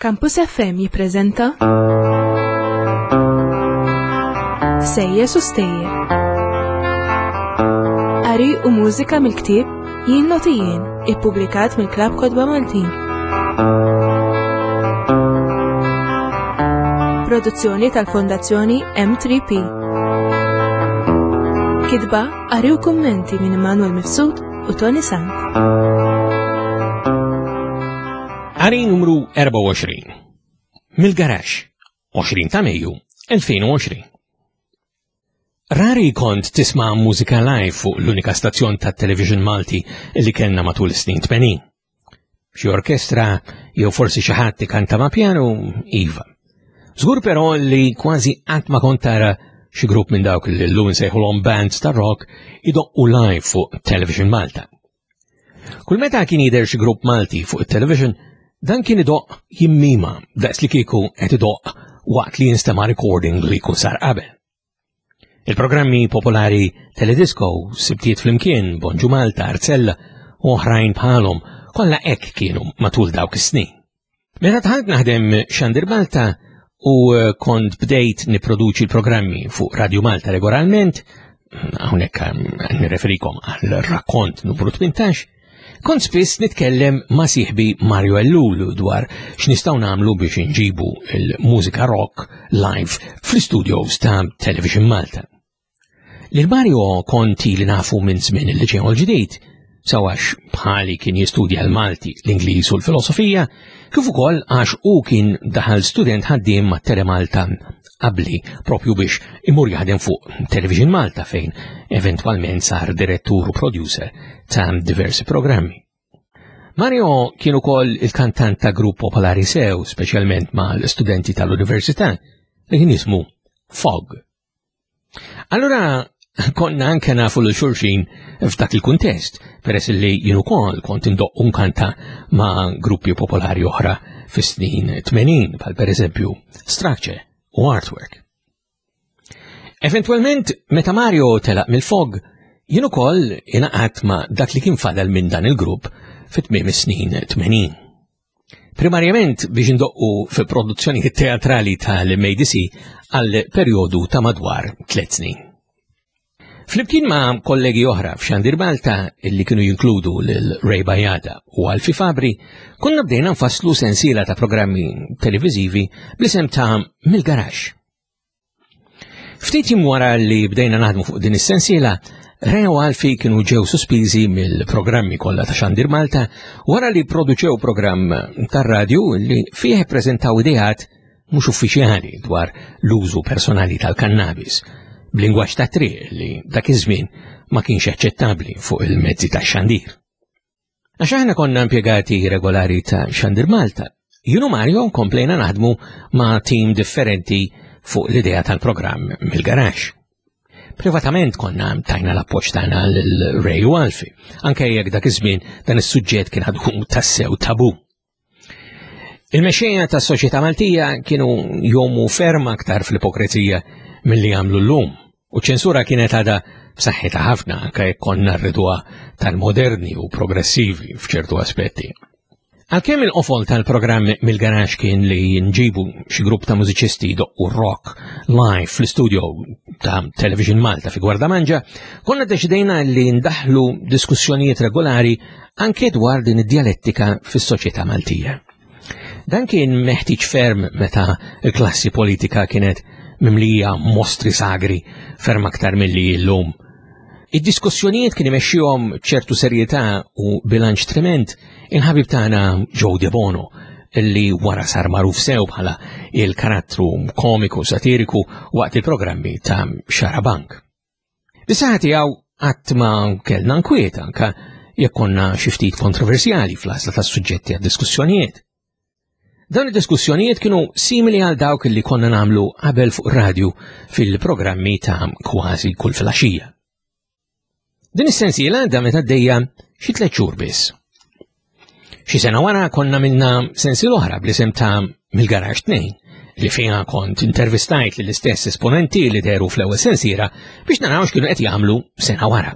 Campus FM jippreżenta Sejjes u Stejjer. Qari u mużika mill-ktieb Jien Noti Jien, ippubblikat mill-Klabb Kotba Maltin. Produzzjoni tal-Fondazzjoni M3P. Kitba, qari u kummenti minn Immanuel Mifsud u Tony Sant. Qari numru 24. Mill-Garaxx, 20 ta' Mejju 2020. Rari kont tisma' mużika live fuq l-unika stazzjon tat-television Malti li kellna matul is-snin 80. Xi orkestra jew forsi xi ħadd ikanta ma' pjanu, iva. Żgur però li kważi qatt ma kont tara xi grupp minn dawk li llum insejħulhom bands ta' rock idoqqu live fuq Television Malta. Kull meta kien jidher xi grupp Malti fuq it-television, dan kien idoqq jimmima daqs li kieku qed idoqq waqt li jinstema' recording li jkun sar qabel. Il-programmi popolari Teledisco, Sibtiet Flimkien, Bonġu Malta, Arzella u oħrajn bħalhom kollha hekk kienu matul dawk is-snin. Meta dħalt naħdem Xandir Malta u eh, kont bdejt niproduċi l-programmi fuq Radio Malta regolarment, hawnhekk eh, nirreferikom għal rakkont numru 18, Kont spiss nitkellem ma' sieħbi Mario Ellul dwar x'nistgħu nagħmlu biex inġibu l-mużika rock live fl-istudios ta' Television Malta. Lil Mario kont li nafu minn żmien il-liċew l-ġdid, sawax bħali kien jistudja l-Malti, l-Ingliż u l-Filosofija, kif ukoll għax hu kien daħal student ħaddiem ma' Telemalta qabli propju biex imur jaħdem fuq Television Malta fejn eventwalment sar direttur u producer ta' diversi programmi. Mario kien ukoll il-kantant ta' grupp popolari sew, speċjalment mal-studenti tal-università, li kien jismu Fog. Allura konna anke nafu l xulxin f'dak il-kuntest, peress li jien ukoll kont indoq unkanta ma' gruppi popolari oħra fis-snin 80, bħal pereżempju Structure u Artwork. Eventwalment, meta Mario telaq mill-fog, jien ukoll ingħaqadt ma' dak li kien fadal minn dan il-grupp fit-tmiem is-snin 80. Primarjament biex indoqqu fi produzzjonijiet teatrali tal-MADC għal perjodu ta' madwar tliet snin. Flimkien ma' kollegi oħra f'Xandir Malta li kienu jinkludu lil Ray Bajada u Alfi Fabri, konna bdejna nfasslu sensiela ta' programmi televiżivi bl-isem ta' Mill-Garaxx. Ftit jiem wara li bdejna naħdmu fuq din is-sensiela, Ray u Alfi kienu ġew sospiżi mill-programmi kollha ta' Xandir Malta wara li produċew programm tar-radju li fih preżentaw ideat mhux uffiċjali dwar l-użu personali tal-kannabis b'lingwaġġ ta' triq li dak iż-żmien ma kienx aċċettabbli fuq il-mezzi tax-xandir. Għax aħna konna impjegati regolari ta' Xandir Malta, jien u Mario komplejna naħdmu ma' tim differenti fuq l-idea tal-programm mill-garax. Privatament konna tajna l-appoġġ tagħna lil Ray u Alfi, anke jekk dak iż-żmien dan is-suġġett kien għadu tassew tabu. Il-mexxejja tas-soċjetà Maltija kienu jomu ferm aktar fl-ipokrezija milli jagħmlu llum, u ċensura kienet għadha b'saħħitha ħafna anke jekk konna rriduha tal-moderni u progressivi f'ċertu aspetti. Għalkemm il-qofol tal-programm mill-garax kien li nġibu xi grupp ta' mużiċisti jdoqqu rock live fl-istudio ta' Television Malta fi Gwardamanġa, konna deċidejna li ndaħlu diskussjonijiet regolari anke dwar din id-djalettika fis-soċjetà Maltija. Dan kien meħtieġ ferm meta l-klassi politika kienet mimlija mostri sagri ferm aktar milli llum. Id-diskussjonijiet kien imexxihom ċertu serjetà u bilanċ trement il-ħabib tagħna Joe De Bono li wara sar magħruf sew bħala il-karattru komiku satiriku waqt il-programmi ta' Xarabank. Bis-saħħa tiegħu qatt ma kellna nkwiet anke jekk konna xi ftit kontroversjali fl-għażla tas-suġġetti għad-diskussjonijiet. Dawn id-diskussjonijiet kienu simili għal dawk li konna nagħmlu qabel fuq radju fil-programmi ta' kważi kull filgħaxija. Din is-sensiela damet għaddejja xi tliet xhur biss. Xi sena wara konna minna sensiel oħra bl-isem ta' Mill-Garax 2 li fiha kont intervistajt lill-istess esponenti li deru fl-ewwel sensiera biex naraw x'kienu qed jagħmlu sena wara.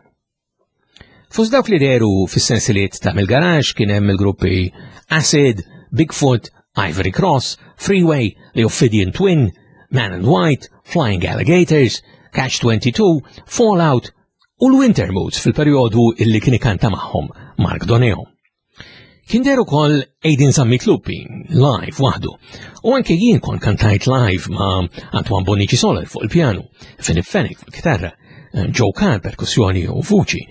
Fost dawk li deru fis-sensiliet ta' Mill-Garax kien hemm il-gruppi Acid, Bigfoot Ivory Cross, Freeway, The Ophidian Twin, Man and White, Flying Alligators, Catch 22, Fallout u l-Winter Moods fil-perjodu illi kien ikanta magħhom Mark Doneo. Kien der ukoll Aiden Zammit Lupi live waħdu u anke jien kont kantajt live ma' Antoine Bonici Soler fuq il-pjanu, Philip Fenech fuq il-kitarra, Joe Carr perkussjoni u vuċi,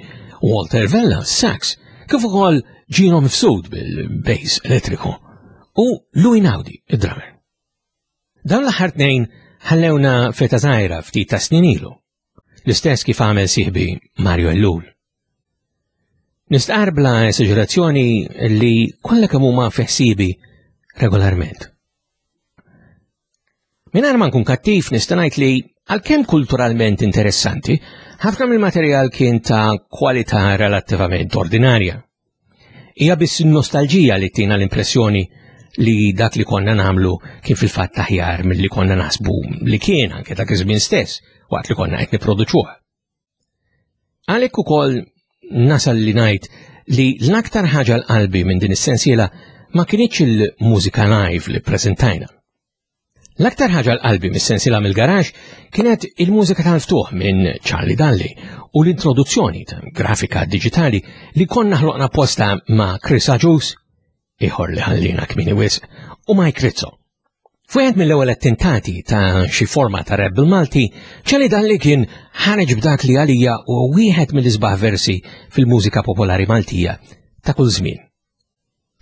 Walter Vella sax, kif ukoll Gino Mifsud bil-bass elettriku u Louis Naudi id-drummer. Dawn l-aħħar tnejn ħallewna feta żgħira ftit ta' snin ilu, l-istess kif għamel sieħbi Mario Ellul. Nistqar bla esaġerazzjoni li kollha kemm huma feħsibi regolarment. Mingħajr ma nkun kattiv nista' ngħid li għalkemm kulturalment interessanti, ħafna mill-materjal kien ta' kwalità relattivament ordinarja. Hija biss nostalġija li tina l-impressjoni li dak li konna namlu kien fil-fatt aħjar milli konna naħsbu li kien anke dak iż-żmien stess waqt li konna qed nipproduċuha. Għalhekk ukoll nasal li ngħid li l-aktar ħaġa l-qalbi minn din is-sensiela ma kinitx il-mużika live li preżentajna. L-aktar ħaġa l-qalbi mis-sensiela mill-garax kienet il-mużika tal-ftuħ minn Charlie Dalli u l-introduzzjoni ta' grafika digitali li konna ħloqna posta ma' Chris Agius, ieħor li ħallina kmini wisq, u Mike Rizzo. F'wieħed mill-ewwel attentati ta' xi forma ta' rap bil-Malti, Charlie Dalli kien ħareġ b'dak li għalija u wieħed mill-isbaħ versi fil-mużika popolari Maltija ta' kull żmien.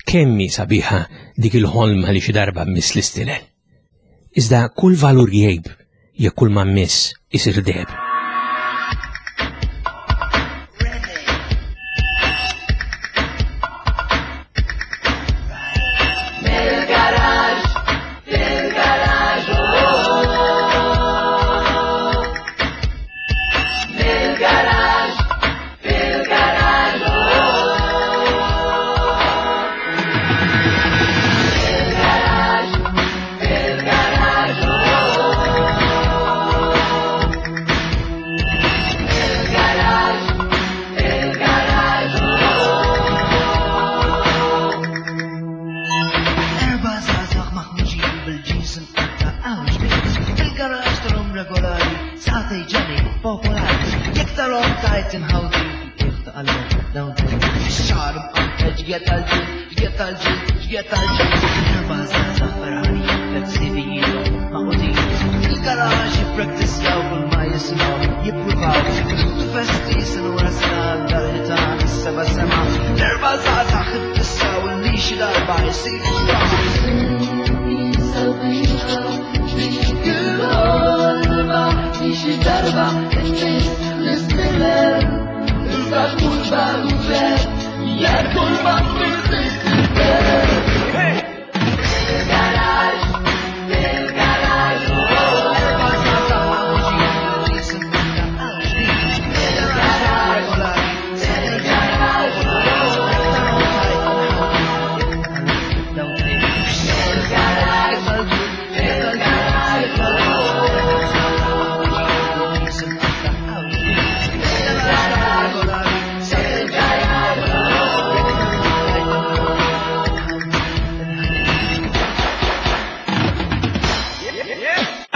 Kemm hi sabiħa dik il-ħolma li xi darba miss l-istilel. Iżda kull valur jgħib jekk kull ma miss isir deheb.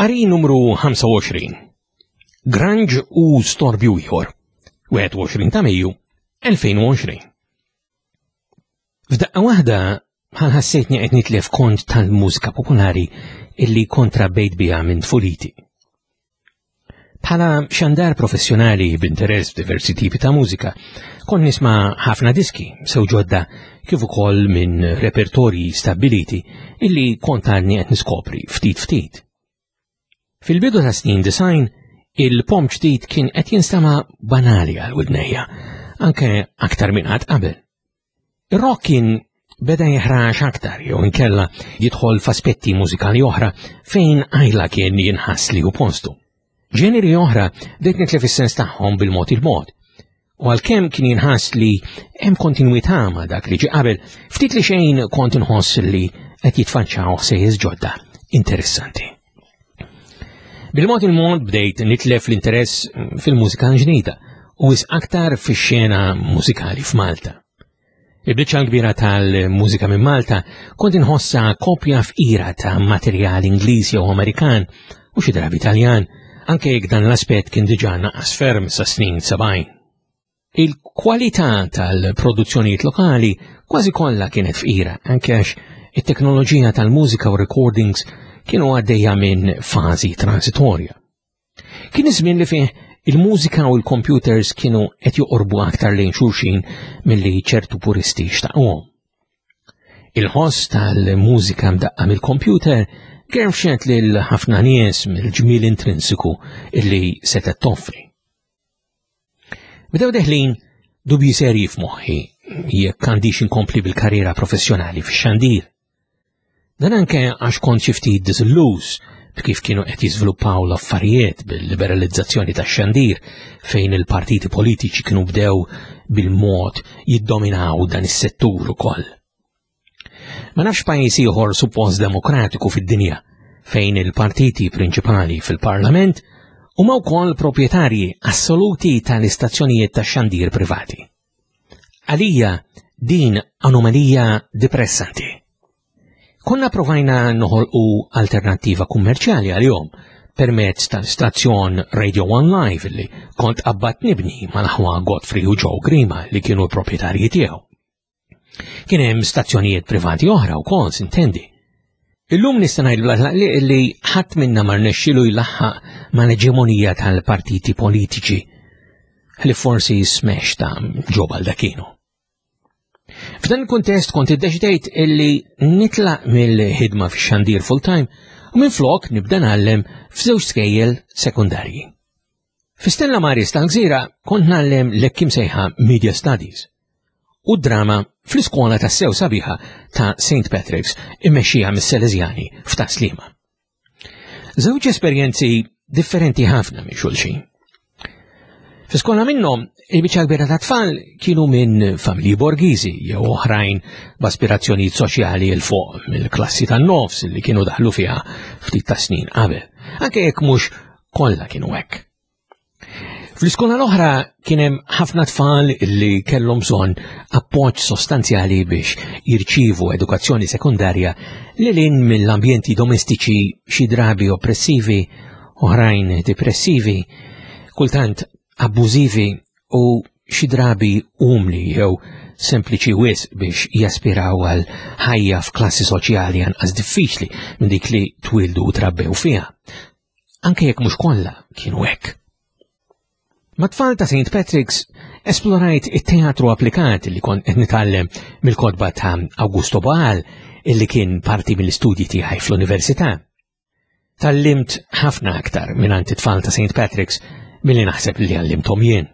Qari numru 25. Grunge u storbju ieħor. 21 ta' Mejju 2020. F'daqqa waħda bħal ħassejtni qed nitlef kont tal-mużika popolari illi kontra bejt biha minn tfuliti. Bħala xandar professjonali b'interess f'diversi tipi ta' mużika, kont nisma' ħafna diski sew ġodda kif ukoll minn repertorji stabbiliti illi kont għadni qed niskopri ftit ftit. Fil-bidu ta' snin design, il-pom ġdid kien qed jinstama' banali għal widnejja, anke aktar minn qatt qabel. Ir-rock kien beda jeħrax aktar jew inkella jidħol f'aspetti mużikali oħra fejn għajla kien jinħass li hu postu. Ġeneri oħra bdejt nitlef is-sens tagħhom bil-mod il-mod. U għalkemm kien jinħass li hemm kontinwità ma' dak li ġie qabel, ftit li xejn kont inħoss li qed jitfaċċaw ħsejjes ġodda interessanti. Bil-mod il-mod bdejt nitlef l-interess fil-mużika ġdida u wis aktar fix-xena mużikali f'Malta. Il-biċċa l-kbira tal-mużika minn Malta kont inħossha kopja fqira ta' materjal Ingliż jew Amerikan u xi drabi Taljan, anke jekk dan l-aspett kien diġà naqas ferm sa snin 70. Il-kwalità tal-produzzjonijiet lokali kważi kollha kienet fqira, anke għax it-teknoloġija tal-mużika u recordings kienu għaddejja minn fażi transitorja. Kien iż-żmien li fih il-mużika u l-computers kienu qed joqorbu aktar lejn xulxin milli ċertu puristi xtaquhom. Il-ħoss tal-mużika mdaqqa mill-computer gerfxet lil ħafna nies mill-ġmiel intrinsiku illi setgħet toffri. Bdew deħlin dubji serji f'moħħi jekk għandix inkompli bil-karriera professjonali fix-xandir. Dan anke għax kont xi ftit diżilluż b'kif kienu qed jiżviluppaw l-affarijiet bil-liberalizzazzjoni tax-xandir fejn il-partiti politiċi kienu bdew bil-mod jiddominaw dan is-settur ukoll. Ma nafx pajjiż ieħor suppost demokratiku fid-dinja fejn il-partiti prinċipali fil-parlament huma wkoll proprjetarji assoluti tal-istazzjonijiet tax-xandir privati. Għalija din anomalija depressanti. Konna provajna noħolqu alternattiva kummerċjali għalihom permezz tal-istazzjon Radio One Live li kont qabbat nibni mal-aħwa Godfrey u Joe Grima li kienu l-proprjetarji tiegħu. Kien hemm stazzjonijiet privati oħra wkoll sintendi. Illum nista' ngħid bla tlaqliq li ħadd minna ma rnexxielu jlaħħaq mal-eġemonija tal-partiti politiċi li forsi smex ta' Joe Baldacchino. F'dan il-kuntest kont iddeċidejt illi nitlaq mill-ħidma fix-xandir full-time u minflok nibda ngħallem f'żewġ skejjel sekundarji. Fi Stella Maris tal-Gżira kont ngħallem l-hekk imsejħa Media Studies u drama fl-iskola tas-sew sabiħa ta' St. Patrick's immexxija mis-Salesjani f'Tas-Sliema. Żewġ esperjenzi differenti ħafna minn xulxin. Fi skola minnhom, il-biċċa kbira ta' tfal kienu minn familji borgiżi jew oħrajn b'aspirazzjonijiet soċjali 'l fuq mill-klassi tan-nofs li kienu daħlu fiha ftit ta' snin qabel, anke jekk mhux kollha kienu hekk. Fl-iskola l-oħra kien hemm ħafna tfal li kellhom bżonn appoġġ sostanzjali biex jirċievu edukazzjoni sekondarja li lin mill-ambjenti domestiċi xi drabi oppressivi, oħrajn depressivi, kultant abbużivi u xi drabi umli jew sempliċi wisq biex jaspiraw għal ħajja f'klassi soċjali anqas diffiċli minn dik li twildu u trabbew fiha. Anke jekk mhux kollha kienu hekk. Mat-tfal ta' St. Patrick's esplorajt it-teatru applikat li kont qed nitgħallem mill-kotba ta' Augusto Boal illi kien parti mill-istudji tiegħi fl-università. Tallimt ħafna aktar mingħand it-tfal ta' St. Patrick's milli naħseb li għallimthom jien.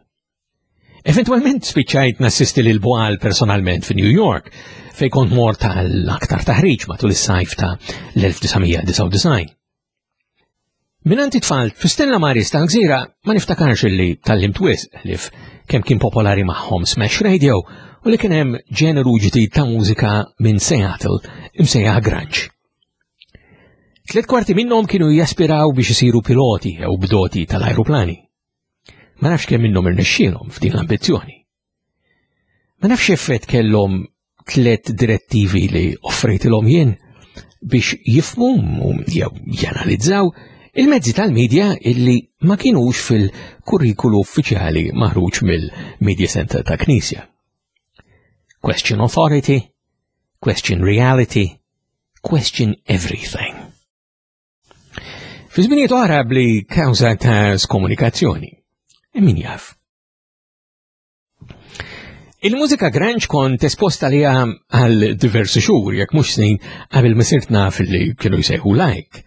Eventwalment spiċċajt nassisti lil Boal personalment fi New York, fej kont mort għal aktar taħriġ matul is-sajf ta' l-1999. Minant it-tfal fi Stella Maris tal-Gżira ma niftakarx illi tal-lim wisq li kemm kien popolari magħhom Smash Radio u li kien hemm ġeneru ġdid ta' mużika minn Seattle imsejjaħ grunge. Tliet kwarti minnhom kienu jaspiraw biex isiru piloti jew bdoti tal-ajruplani. Ma nafx kemm minnhom irnexxielhom f'din l-ambizzjoni. Ma nafx effett kellhom tlet direttivi li offrejtilhom jien biex jifmu u jew janalizzaw il-mezzi tal-medja illi ma kienux fil-kurrikulu uffiċjali maħruġ mill-Media Center ta' Knisja. Question authority, question reality, question everything. Fi żminijiet oħra bli kawża ta' skomunikazzjoni. Min jaf? Il-mużika grunge kont esposta li għal diversi xhur, jekk mhux snin, qabel ma sirt naf li kienu jsejħu like.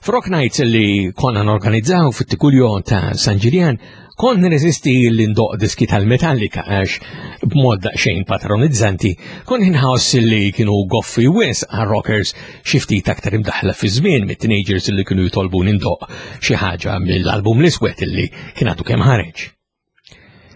F'Rock Nights li konna norganizzaw fit-Tikuljo ta' San Ġiljan, kont nirreżisti li ndoq diski tal-Metallica għax b'mod daqsxejn patronizzanti kont inħoss li kienu goffi wis għal rockers xi ftit aktar imdaħla fi żmien mit-teenagers li kienu jitolbu nindoq xi ħaġa mill-album l-iswed li kien għadu kemm ħareġ.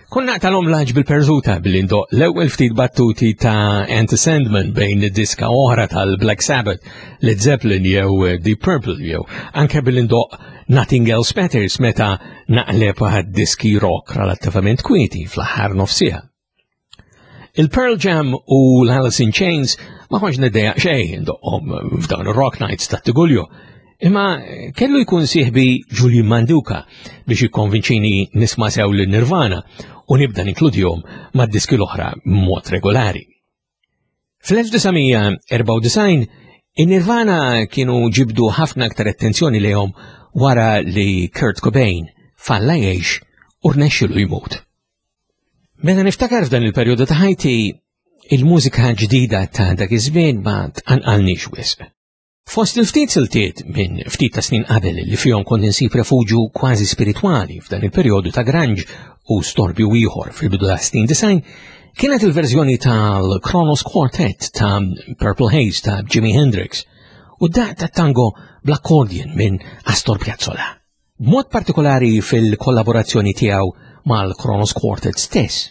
Konna naqtalhom laġ bil-perżuta billi ndoq l-ewwel ftit battuti ta' Enter Sandman bejn diska oħra tal-Black Sabbath, Led Zeppelin jew Deep Purple jew anke billi ndoq Nothing Else Matters meta naqleb għad diski rock relattivament kwieti fl-aħħar nofsija. Il-Pearl Jam u l-Alice in Chains ma kontx niddejjaq xejn indoqqhom f'dawn ir-Rock Nights ta' Tigulju. Imma kellu jkun sieħbi Julian Manduka biex jikkonvinċini nisma' sew lil Nirvana u nibda ninkludihom mad-diski l-oħra b'mod regolari. Fl-1994, in-Nirvana kienu ġibdu ħafna aktar attenzjoni lejhom wara li Kurt Cobain falla jgħix u rnexxilu jmut. Meta niftakar f'dan il-perjodu ta' ħajti, il-mużika ġdida ta' dak iż-żmien ma tqanqalniex wisq. Fost il-ftit siltiet minn ftit ta' snin qabel li fihom kont insib refuġju kważi spiritwali f'dan il-perjodu ta' grunge u storbju ieħor fil-bidu ta' snin design, kienet il-verżjoni tal-Kronos Quartet ta' Purple Haze ta' Jimi Hendrix u daq ta' tango bl-accordion minn Astor Piazzolla. B'mod partikolari fil-kollaborazzjoni tiegħu mal-Kronos Quartet stess.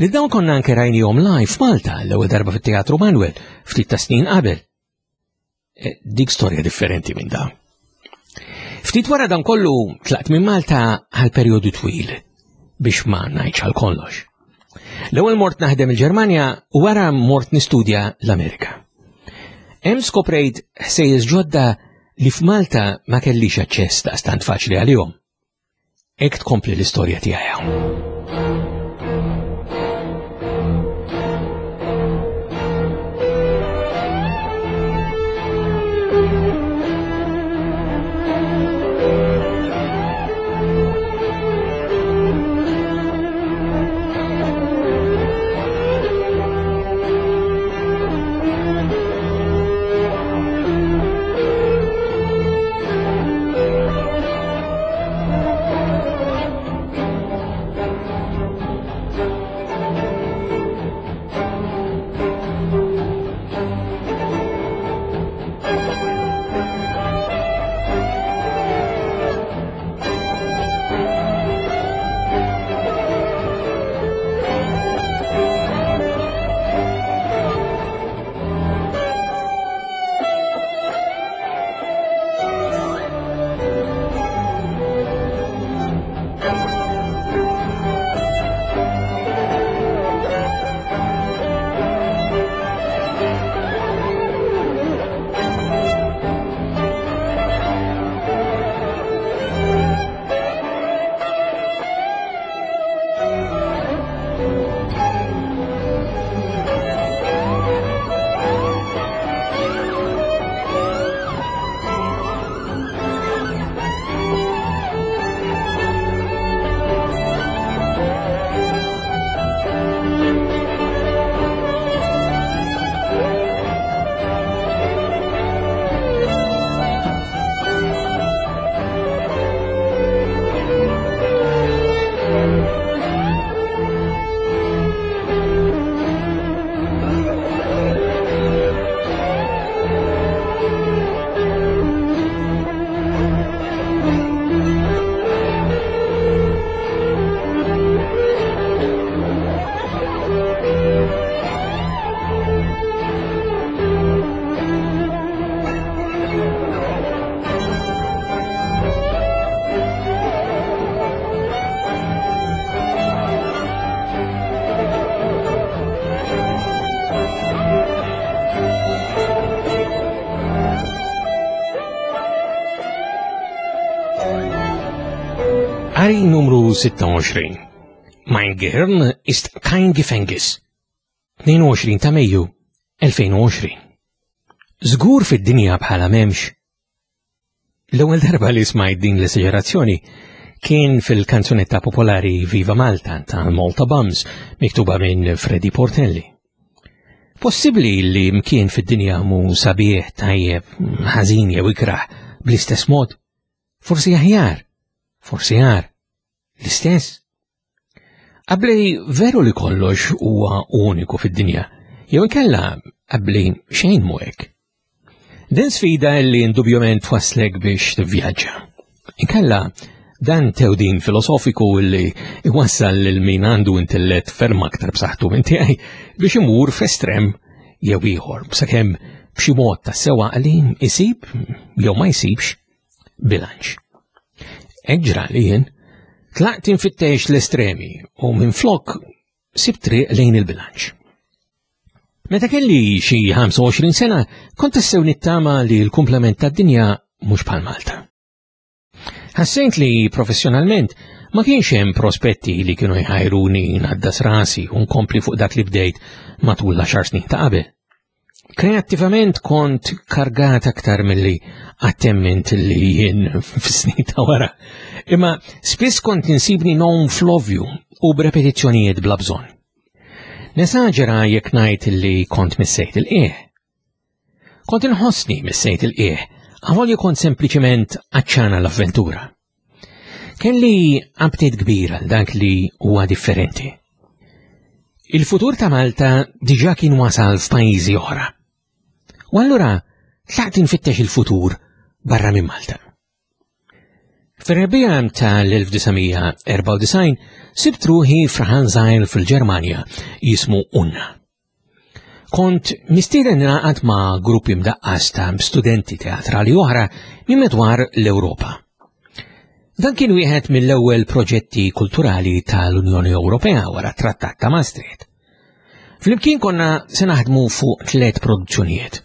Li dawn konna anke rajnihom live f'Malta l-ewwel darba fit-Teatru Manuel ftit ta' snin qabel. E, dik storja differenti minn dawn. Ftit wara dan kollu tlaqt minn Malta għal perjodu twil biex ma ngħidx għal kollox. L-ewwel mort naħdem il-Ġermanja u wara mort nistudja l-Amerika. Hemm skoprejt ħsejjes ġodda li f'Malta ma kellix aċċess daqstant faċli għalihom. Hekk tkompli l-istorja tiegħi hawn. Qari numru 26. Mein Gehirn ist kein Gefängnis. 22 ta' Mejju 2020. Żgur fid-dinja bħala memx. L-ewwel darba li smajt din l-esaġerazzjoni kien fil-kanzunetta popolari Viva Malta ta' Malta Bums miktuba minn Freddy Portelli. Possibbli li mkien fid-dinja mu sabiħ, tajjeb, ħażin jew ikrah bl-istess mod? Forsi aħjar, forsi għar, l-istess. Qabli veru li kollox huwa uniku fid-dinja, jew inkella qabli xejn mhu hekk. Din sfida li indubjament twasslek biex tivvjaġġa. Inkella dan tewdin filosofiku li iwassal lil min għandu intellett ferm aktar b'saħħtu minn tiegħi biex imur f'estrem jew ieħor sakemm b'xi mod ta' sewa li isib jew ma jsibx bilanċ. Hekk ġrali jien, tlaqt infittex l-estremi u minflok sibt triq lejn il-bilanċ. Meta kelli xi 25 sena, kont tassew nittama li l-kumplament tad-dinja mhux bħal Malta. Ħassejt li professjonalment ma kienx hemm prospetti li kienu jħajruni ngħaddas rasi u nkompli fuq dak li bdejt matul l-għaxar snin ta' qabel. Kreattivament kont kargat aktar milli għattemment li jien fis-snin ta' wara. Imma spiss kont insibni non fl-ovvju u b'repetizzjonijiet bla bżonn. Nesaġera jekk ngħid li kont missejt il-qieħ. Kont inħossni missejt il-qieħ, avolja kont sempliċement għaċċana l-avventura. Kelli aptit kbir għal dak li huwa differenti. Il-futur ta' Malta diġà kien wasal f'pajjiżi oħra. U allura tlaqt infittex il-futur barra minn Malta. Fir-rebbiegħa tal-1994 sibt ruħi f'raħal żgħir fil-Ġermanja jismu Unna. Kont mistieden ningħaqad ma' gruppi mdaqqas ta' studenti teatrali oħra minn madwar l-Ewropa. Dan kien wieħed mill-ewwel proġetti kulturali tal-Unjoni Ewropea wara t-Trattat ta' Maastricht. Flimkien konna se naħdmu fuq tliet produzzjonijiet.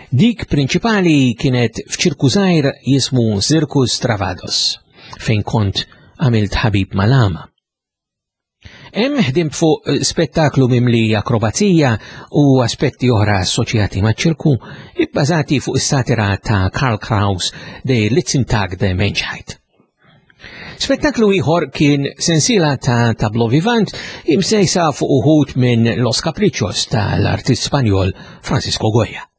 Dik prinċipali kienet f'ċirku żgħir jismu Circus Travados, fejn kont għamilt ħabib mal-għama. Hemm ħdimt fuq eh, spettaklu mimli akrobazija u aspetti oħra assoċjati maċ-ċirku ibbażati fuq is-satira ta' Karl Kraus de Litzentag de Menschheit. Spettaklu ieħor kien sensiela ta' tablo vivant imsejsa fuq uħud minn Los Caprichos tal-artist Spanjol Francisco Goya.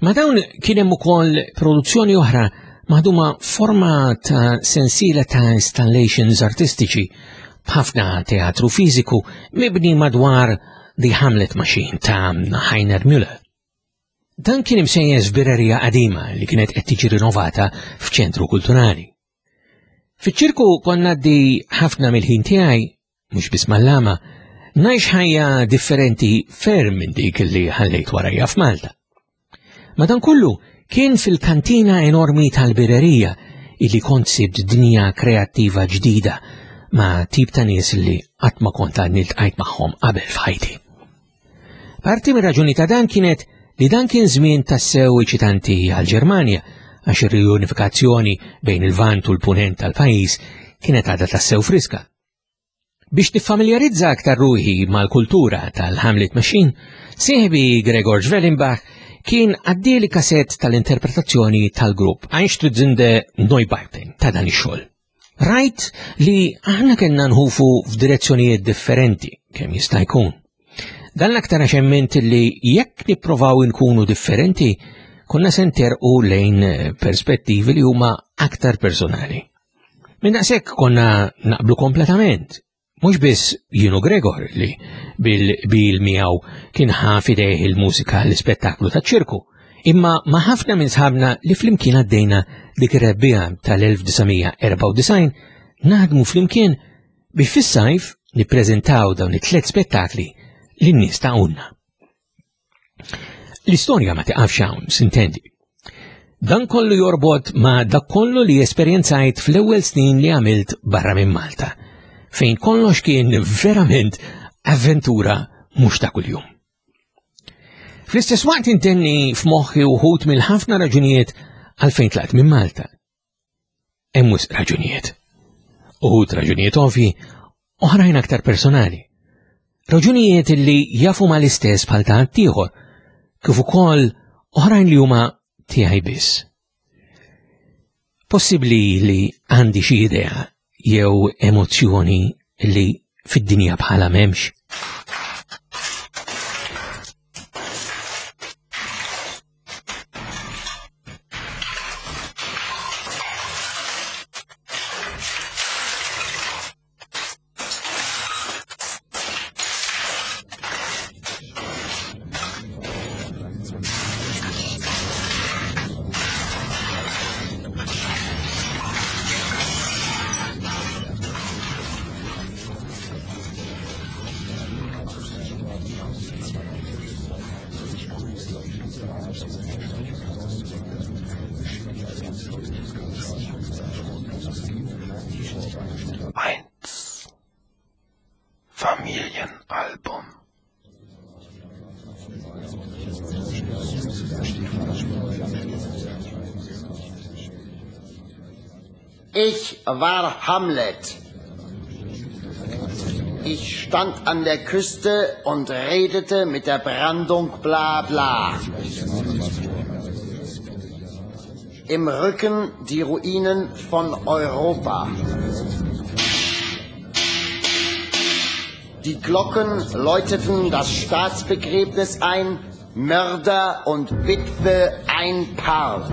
Ma dawn kien hemm ukoll produzzjoni oħra maħduma forma ta' sensiela ta' installations artistiċi b'ħafna teatru fiżiku mibni madwar The Hamlet Machine ta' Heiner Müller. Dan kien imsejjes f'birrerija qadima li kienet qed tiġi rinovata f'ċentru kulturali. Fiċ-ċirku konna di ħafna mill-ħin tiegħi mhux biss mal-lama, ngħix ħajja differenti ferm minn dik li ħallejt warajja f'Malta. Madankollu kien fil-kantina enormi tal-birerija illi kont sibt dinja kreattiva ġdida ma' tip ta' nies li qatt ma kont għadni ltqajt magħhom qabel f'ħajti. Parti mir-raġuni ta' dan kienet li dan kien żmien tassew eċitanti għall-Ġermanja għax ir-riunifikazzjoni bejn il-Lvant u l-Punent tal-pajjiż kienet għadha tassew friska. Biex niffamiljarizza aktar ruħi mal-kultura tal-Hamlet Machine, sieħbi Gregor Schwellenbach kien għaddieli kasett tal-interpretazzjoni tal-grupp Einstürzende Neubauten ta' dan ix-xogħol. Rajt li aħna kellna nħufu f'direzzjonijiet differenti kemm jista' jkun. Dan l-aktar għax emmint li jekk nipprovaw inkunu differenti, konna se nterqu lejn perspettivi li huma aktar personali. Minn daqshekk konna naqblu kompletament. Mhux biss jienu Gregor li bil-bil miegħu kien ħa fidejh il-mużika l-ispettaklu ta' ċirku, imma ma' ħafna minn sħabna li flimkien għaddejna dik ir-rebbiegħa tal-1994 naħdmu flimkien biex fis-sajf nippreżentaw dawn it-tliet spettakli lin-nies ta' Unna. L-istorja ma tiqafx hawn, sintendi. Dan kollu jorbot ma dak kollu li esperjenzajt fl-ewwel snin li għamilt barra minn Malta, fejn kollox kien verament avventura mhux ta' kuljum. Fl-istess waqt intenni f'moħħi wħud mill-ħafna raġunijiet għalfejn tlaqt minn Malta. Hemm wisq raġunijiet. Uħud raġunijiet ovvi, oħrajn aktar personali. Raġunijiet li jafu ma l-istess bħal ta' ħaddieħor, kif ukoll oħrajn li huma tiegħi biss. Possibbli li għandi xi idea jew emozzjoni li fid-dinja bħala m'hemmx. Eins. Familienalbum. Ich war Hamlet. Ich stand an der Küste und redete mit der Brandung bla bla. Im Rücken die Ruinen von Europa. Die Glocken läuteten das Staatsbegräbnis ein, Mörder und Witwe ein Paar.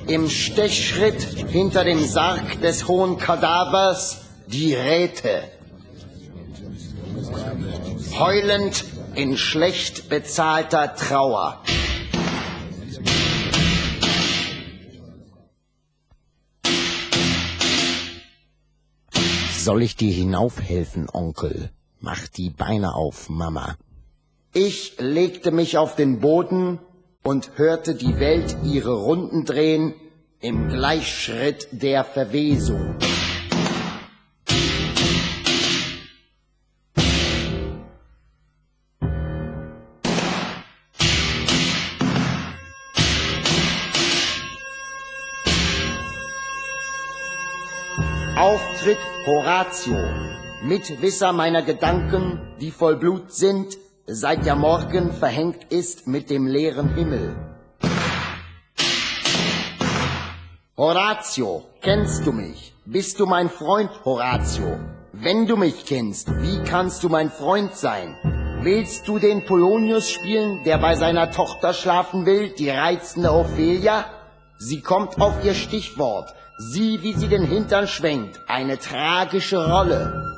Im Stechschritt hinter dem Sarg des hohen Kadavers die Räte. Heulend in schlecht bezahlter Trauer. Soll ich dir hinaufhelfen, Onkel? Mach die Beine auf, Mama. Ich legte mich auf den Boden und hörte die Welt ihre Runden drehen im Gleichschritt der Verwesung. Auftritt Horatio, Mitwisser meiner Gedanken, die voll Blut sind, seit der Morgen verhängt ist mit dem leeren Himmel. Horatio, kennst du mich? Bist du mein Freund, Horatio? Wenn du mich kennst, wie kannst du mein Freund sein? Willst du den Polonius spielen, der bei seiner Tochter schlafen will, die reizende Ophelia? Sie kommt auf ihr Stichwort. Sieh, wie sie den Hintern schwenkt. Eine tragische Rolle.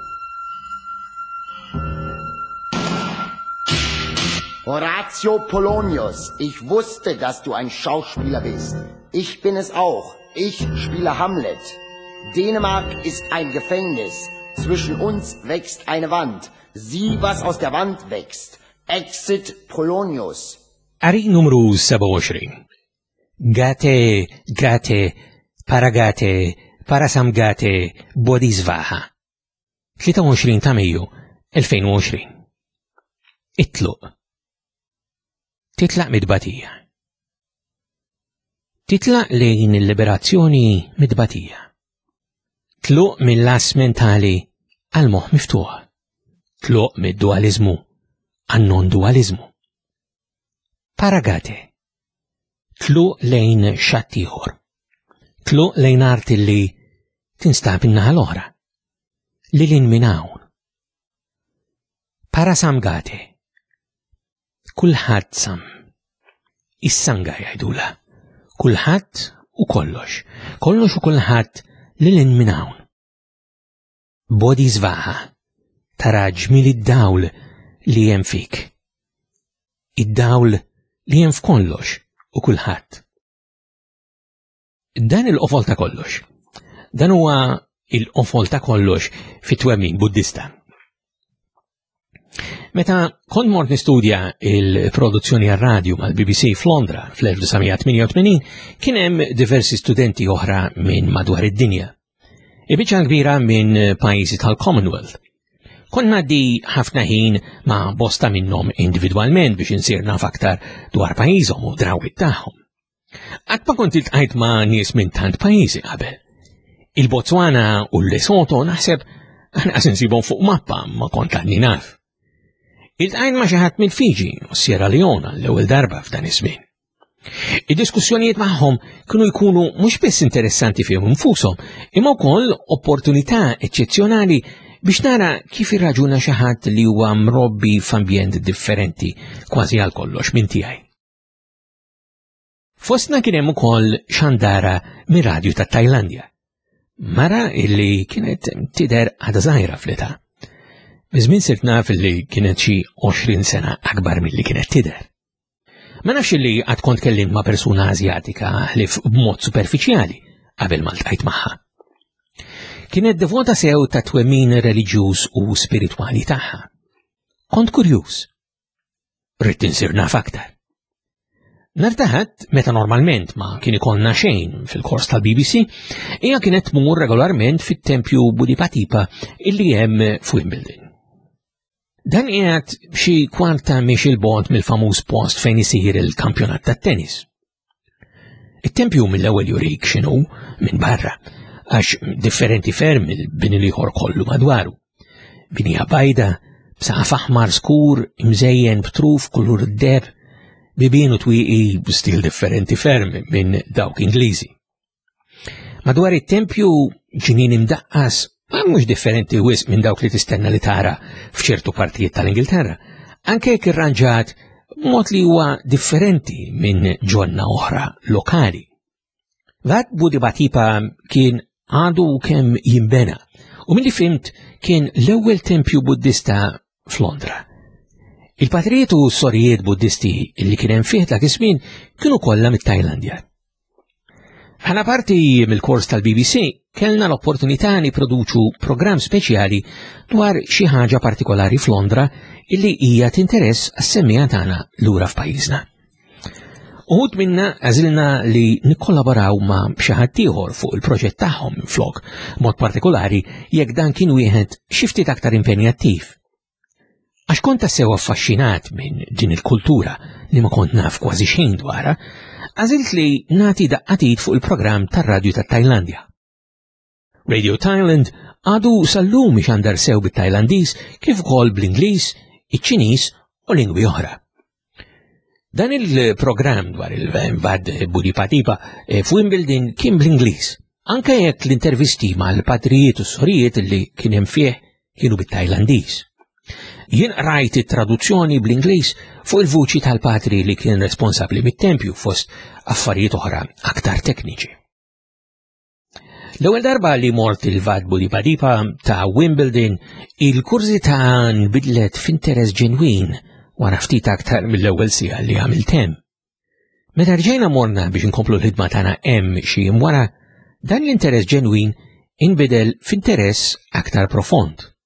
Horatio Polonius, ich wusste, dass du ein Schauspieler bist. Ich bin es auch. Ich spiele Hamlet. Dänemark ist ein Gefängnis. Zwischen uns wächst eine Wand. Sieh, was aus der Wand wächst. Exit Polonius. Qari numru 27. Gate, gate, paragate, parasamgate, bodhisvaha. 23 ta' Mejju 2020. Itluq. Titlaq mid-batija. Titlaq lejn il-liberazzjoni mid-batija. Tluq mill-las mentali għal moħħ miftuħ. Tluq mid-dualizmu għan non-dualizmu. Paragate. Tluq lejn xatt ieħor. Tluq lejn art li tinstab in-naħa l-oħra. Lil hinn minn hawn. Parasamgate. Kulħadd sam. Is-sanga jgħidula. Kulħadd u kollox. Kollox u kulħadd lil hinn minn hawn. Bodhisvaha. Tara ġmiel id-dawl li hemm fik. Id-dawl li hemm f'kollox u kulħadd. Dan il-qofol ta' kollox. Dan huwa il-qofol ta' kollox fit-twemmin Buddista. Meta kont mort nistudja il-produzzjoni għar-radju mal-BBC f'Londra fl-1988, kien hemm diversi studenti oħra minn madwar id-dinja. Ibiċċa kbira minn pajjiżi tal-Commonwealth. Kont ngħaddi ħafna ħin ma' bosta minnhom individwalment biex insir naf aktar dwar pajjiżhom u drawwiet tagħhom. Qatt ma kont iltqajt ma' nies minn tant pajjiżi qabel. Il-Botswana u l-Lesotho naħseb anqas insibhom fuq mappa ma kont għadni naf. Iltqajt ma' xi ħadd minn Fiji u Sierra Leone l-ewwel darba f'dan iż-żmien. Id-diskussjonijiet magħhom kienu jkunu mhux biss interessanti fihom infushom, imma wkoll opportunità eċċezzjonali biex nara kif irraġuna xi ħadd li huwa mrobbi f'ambjent differenti kważi għal kollox minn tiegħi. Fostna kien hemm ukoll xandara mir-radju ta' Tajlandja. Mara illi kienet tidher għadha żgħira fl-età. Biżmien sirt naf illi kienet xi 20 sena akbar milli kienet tidher. Ma nafx illi għad kont kellimt ma' persuna Azjatika li b'mod superfiċjali qabel ma ltqajt magħha. Kienet devota sew ta' twemmin reliġjuż u spiritwali tagħha. Kont kurjuż. Ridt insir naf aktar. Nhar ta' Ħadd, meta normalment ma kien ikollna xejn fil-kors tal-BBC, hija kienet tmur regolarment fit-tempju Budipatipa illi hemm f'Wimbledon. Dan qiegħed xi kwarta miex il-bogħod mill-famuż post fejn isir il-kampjonat tat-tennis. It-tempju mill-ewwel jurik x'inhu minn barra, għax differenti ferm mill-bini l-ieħor kollu madwaru. Binija bajda, b'saqaf aħmar skur imżejjen b'truf kulur id-deheb, bibien u twieqi b'stil differenti ferm minn dawk Ingliżi. Madwar it-tempju ġnien imdaqqas ma mhux differenti wisq minn dawk li tistenna li tara f'ċertu partijiet tal-Ingilterra, anke jekk irranġat b'mod li huwa differenti minn ġonna oħra lokali. Vat Budibatipa kien għadu kemm jimbena u milli fimt kien l-ewwel tempju Buddista f'Londra. Il-patrijiet u sorijiet Buddisti li kien hemm fih dak iż-żmien kienu kollha mit-Tajlandja. Bħala parti mill-kors tal-BBC kellna l-opportunità niproduċu programm speċjali dwar xi ħaġa partikolari f'Londra illi hija tinteress għas-semmiegħa tagħna lura f'pajjiżna. Uħud minna għażilna li nikkollaboraw ma' xi ħadd ieħor fuq il-proġett tagħhom minflok, mod partikolari jekk dan kien wieħed xi ftit aktar impenjattiv. Għax kont tassew affaxxinat minn din il-kultura li ma kont naf kważi xejn dwarha, għażilt li nagħti daqqatit fuq il-programm tar-radju tat-Tajlandja. Radio Thailand għadu sal-lum ixandar sew bit-Tajlandiż kif ukoll bl-Ingliż, iċ-Ċiniż u lingwi oħra. Dan il-programm dwar il-Vad Budipatipa eh, f'Wimbledon kien bl-Ingliż, anke jekk l-intervisti mal-patrijiet u sorijiet li kien hemm fih kienu bit-Tajlandiż. Jien qrajt it-traduzzjoni bl-Ingliż fuq il-vuċi tal-patri li kien responsabbli mit-tempju fost affarijiet oħra aktar tekniċi. L-ewwel darba li mort il-Vad Budipadipa ta' Wimbledon, il-kurżità nbidlet f'interess ġenwin wara ftit aktar mill-ewwel siegħa li għamilt hemm. Meta rġejna morna biex inkomplu l-ħidma tagħna hemm xi jiem wara, dan l-interess ġenwin inbidel f'interess aktar profond.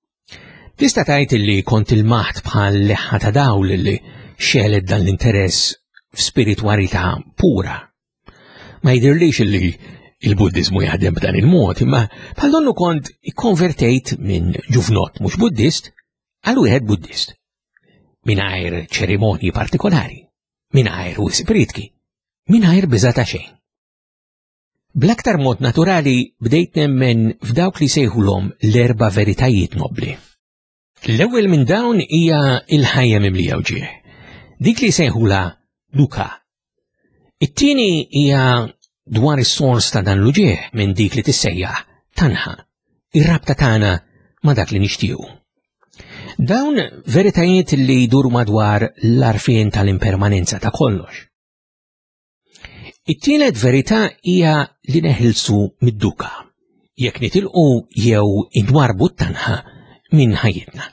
Tista' tgħid li kont ilmaħt bħal leħħa ta' dawl li xegħlet dan l-interess f'spiritwalità pura. Ma jidhirlix li il-Buddiżmu jaħdem b'dan il-mod, imma bħal donnu kont ikkonvertejt minn ġuvnott mhux Buddist għal wieħed Buddist. Mingħajr ċerimonji partikolari, mingħajr wisq pritki, mingħajr biża' ta' xejn. Bl-aktar mod naturali bdejt nemmen f'dawk li sejħulhom l-erba' veritajiet nobbli. L-ewwel minn dawn hija l-ħajja mimlija wġieħ. Dik li sejħula duka. It-tieni hija dwar is-sors ta' dan l-uġieħ minn dik li tissejjaħ tanħa, ir-rabta tagħna ma' dak li nixtiequ. Dawn veritajiet li jduru madwar l-arfien tal-impermanenza ta' kollox. It-tielet verità hija li neħilsu mid-duka, jekk nitilqu jew inwarbu t-tanħa minn ħajjitna.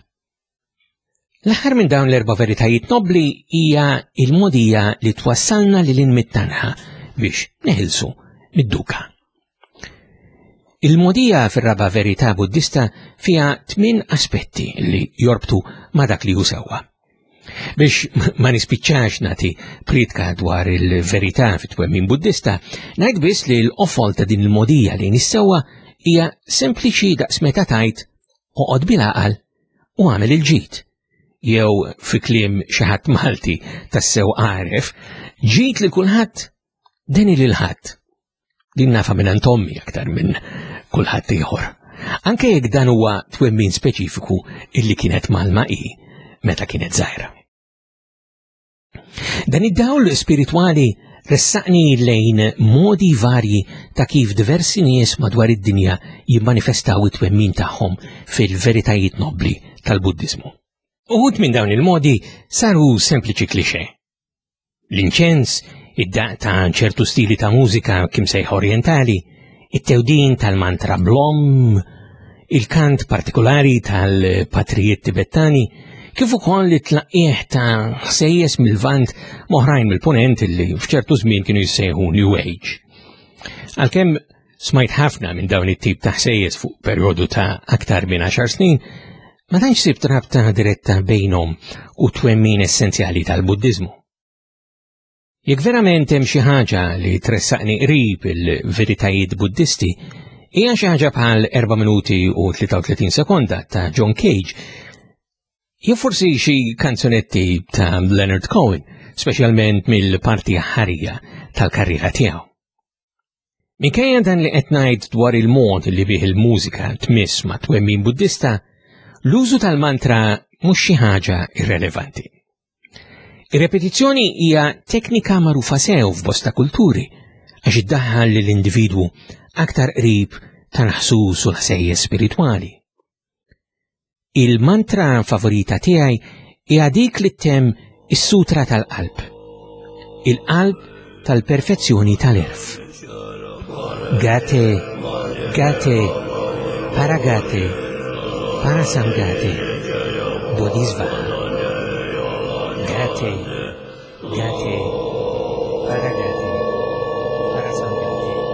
L-aħħar minn dawn l-erba' veritajiet nobbli hija il-mogħdija li twassalna lil hinn mit-tanħa biex neħilsu mid-duka. Il-mogħdija fir-raba' verità Buddista fiha tmien aspetti li jorbtu ma' dak li hu sewwa. Biex ma nispiċċax nagħti pritka dwar il-verità fit-twemmin Buddista, ngħid biss li l-qofol ta' din il-mogħdija lejn is-sewwa hija sempliċi daqs meta tgħid oqgħod bil-għaqal u għamel il-ġid. Jew fi kliem xi ħadd Malti tassew għaref, ġid li kulħadd deni lil ħadd. Din nafa minn ommi aktar minn kulħadd ieħor. Anke jekk dan huwa twemmin speċifiku illi kienet malma hi meta kienet żgħira. Dan id-dawl spiritwali ressaqni lejn modi varji ta' kif diversi nies madwar id-dinja jimmanifestaw it-twemmin tagħhom fil-veritajiet nobbli tal-Buddiżmu. Uħud minn dawn il-modi saru sempliċi klixe. L-inċens, id-daqq ta' ċertu stili ta' mużika kim sejħa orientali, it-tewdin tal-mantra blom, il-kant partikolari tal-patrijiet tibettani, kif ukoll it-tlaqqieħ ta' ħsejjes mill-Lvant m'oħrajn mill-Punent li f'ċertu żmien kienu jissejħu New Age. Għalkemm Smajt ħafna minn dawn it-tip ta' ħsejjes fuq perjodu ta' aktar minn 10 snin, ma tantx sibt rabta diretta bejnhom u twemmin essenzjali tal-Buddiżmu. Jekk verament hemm xi ħaġa li tressaqni qrib il-veritajiet Buddisti, hija xi ħaġa bħal 4 minuti u 33 sekonda ta' John Cage, jew forsi xi kanzunetti ta' Leonard Cohen, speċjalment mill-parti ħarija tal-karriera tiegħu. Minkejja dan li qed ngħid dwar il-mod li bih il-mużika tmiss ma' twemmin Buddista, l-użu tal-mantra mhux xi ħaġa irrelevanti. Ir-repetizzjoni hija teknika magħrufa sew f'bosta kulturi għax iddaħħal lill-individwu aktar qrib tal-ħsus u l-ħsejjes spiritwali. Il-mantra favorita tiegħi hija dik li ttemm is-sutra tal-qalb. Il-qalb tal-perfezzjoni tal-erf. Gate, gate, paragate, parasamgate, bodhisvaha. Gate, gate, paragate, parasamgate.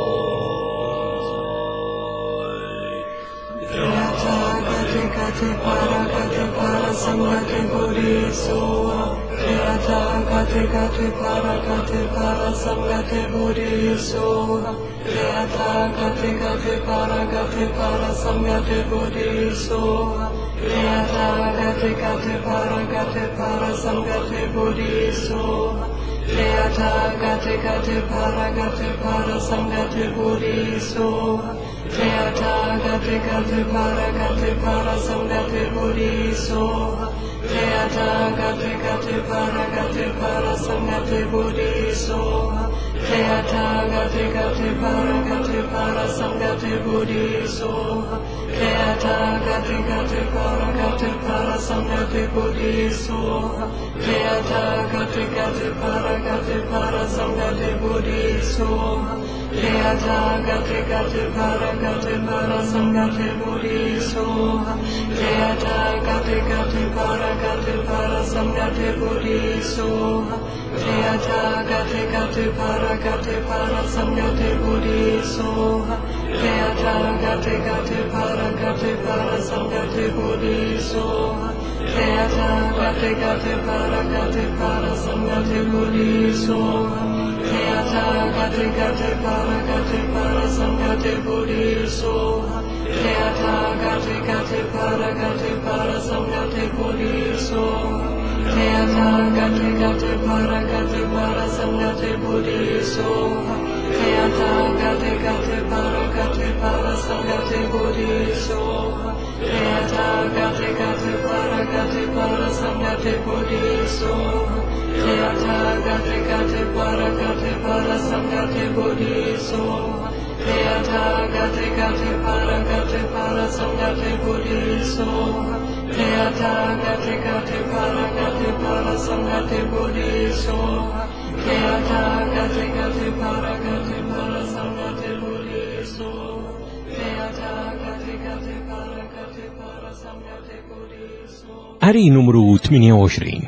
Qari numru 28.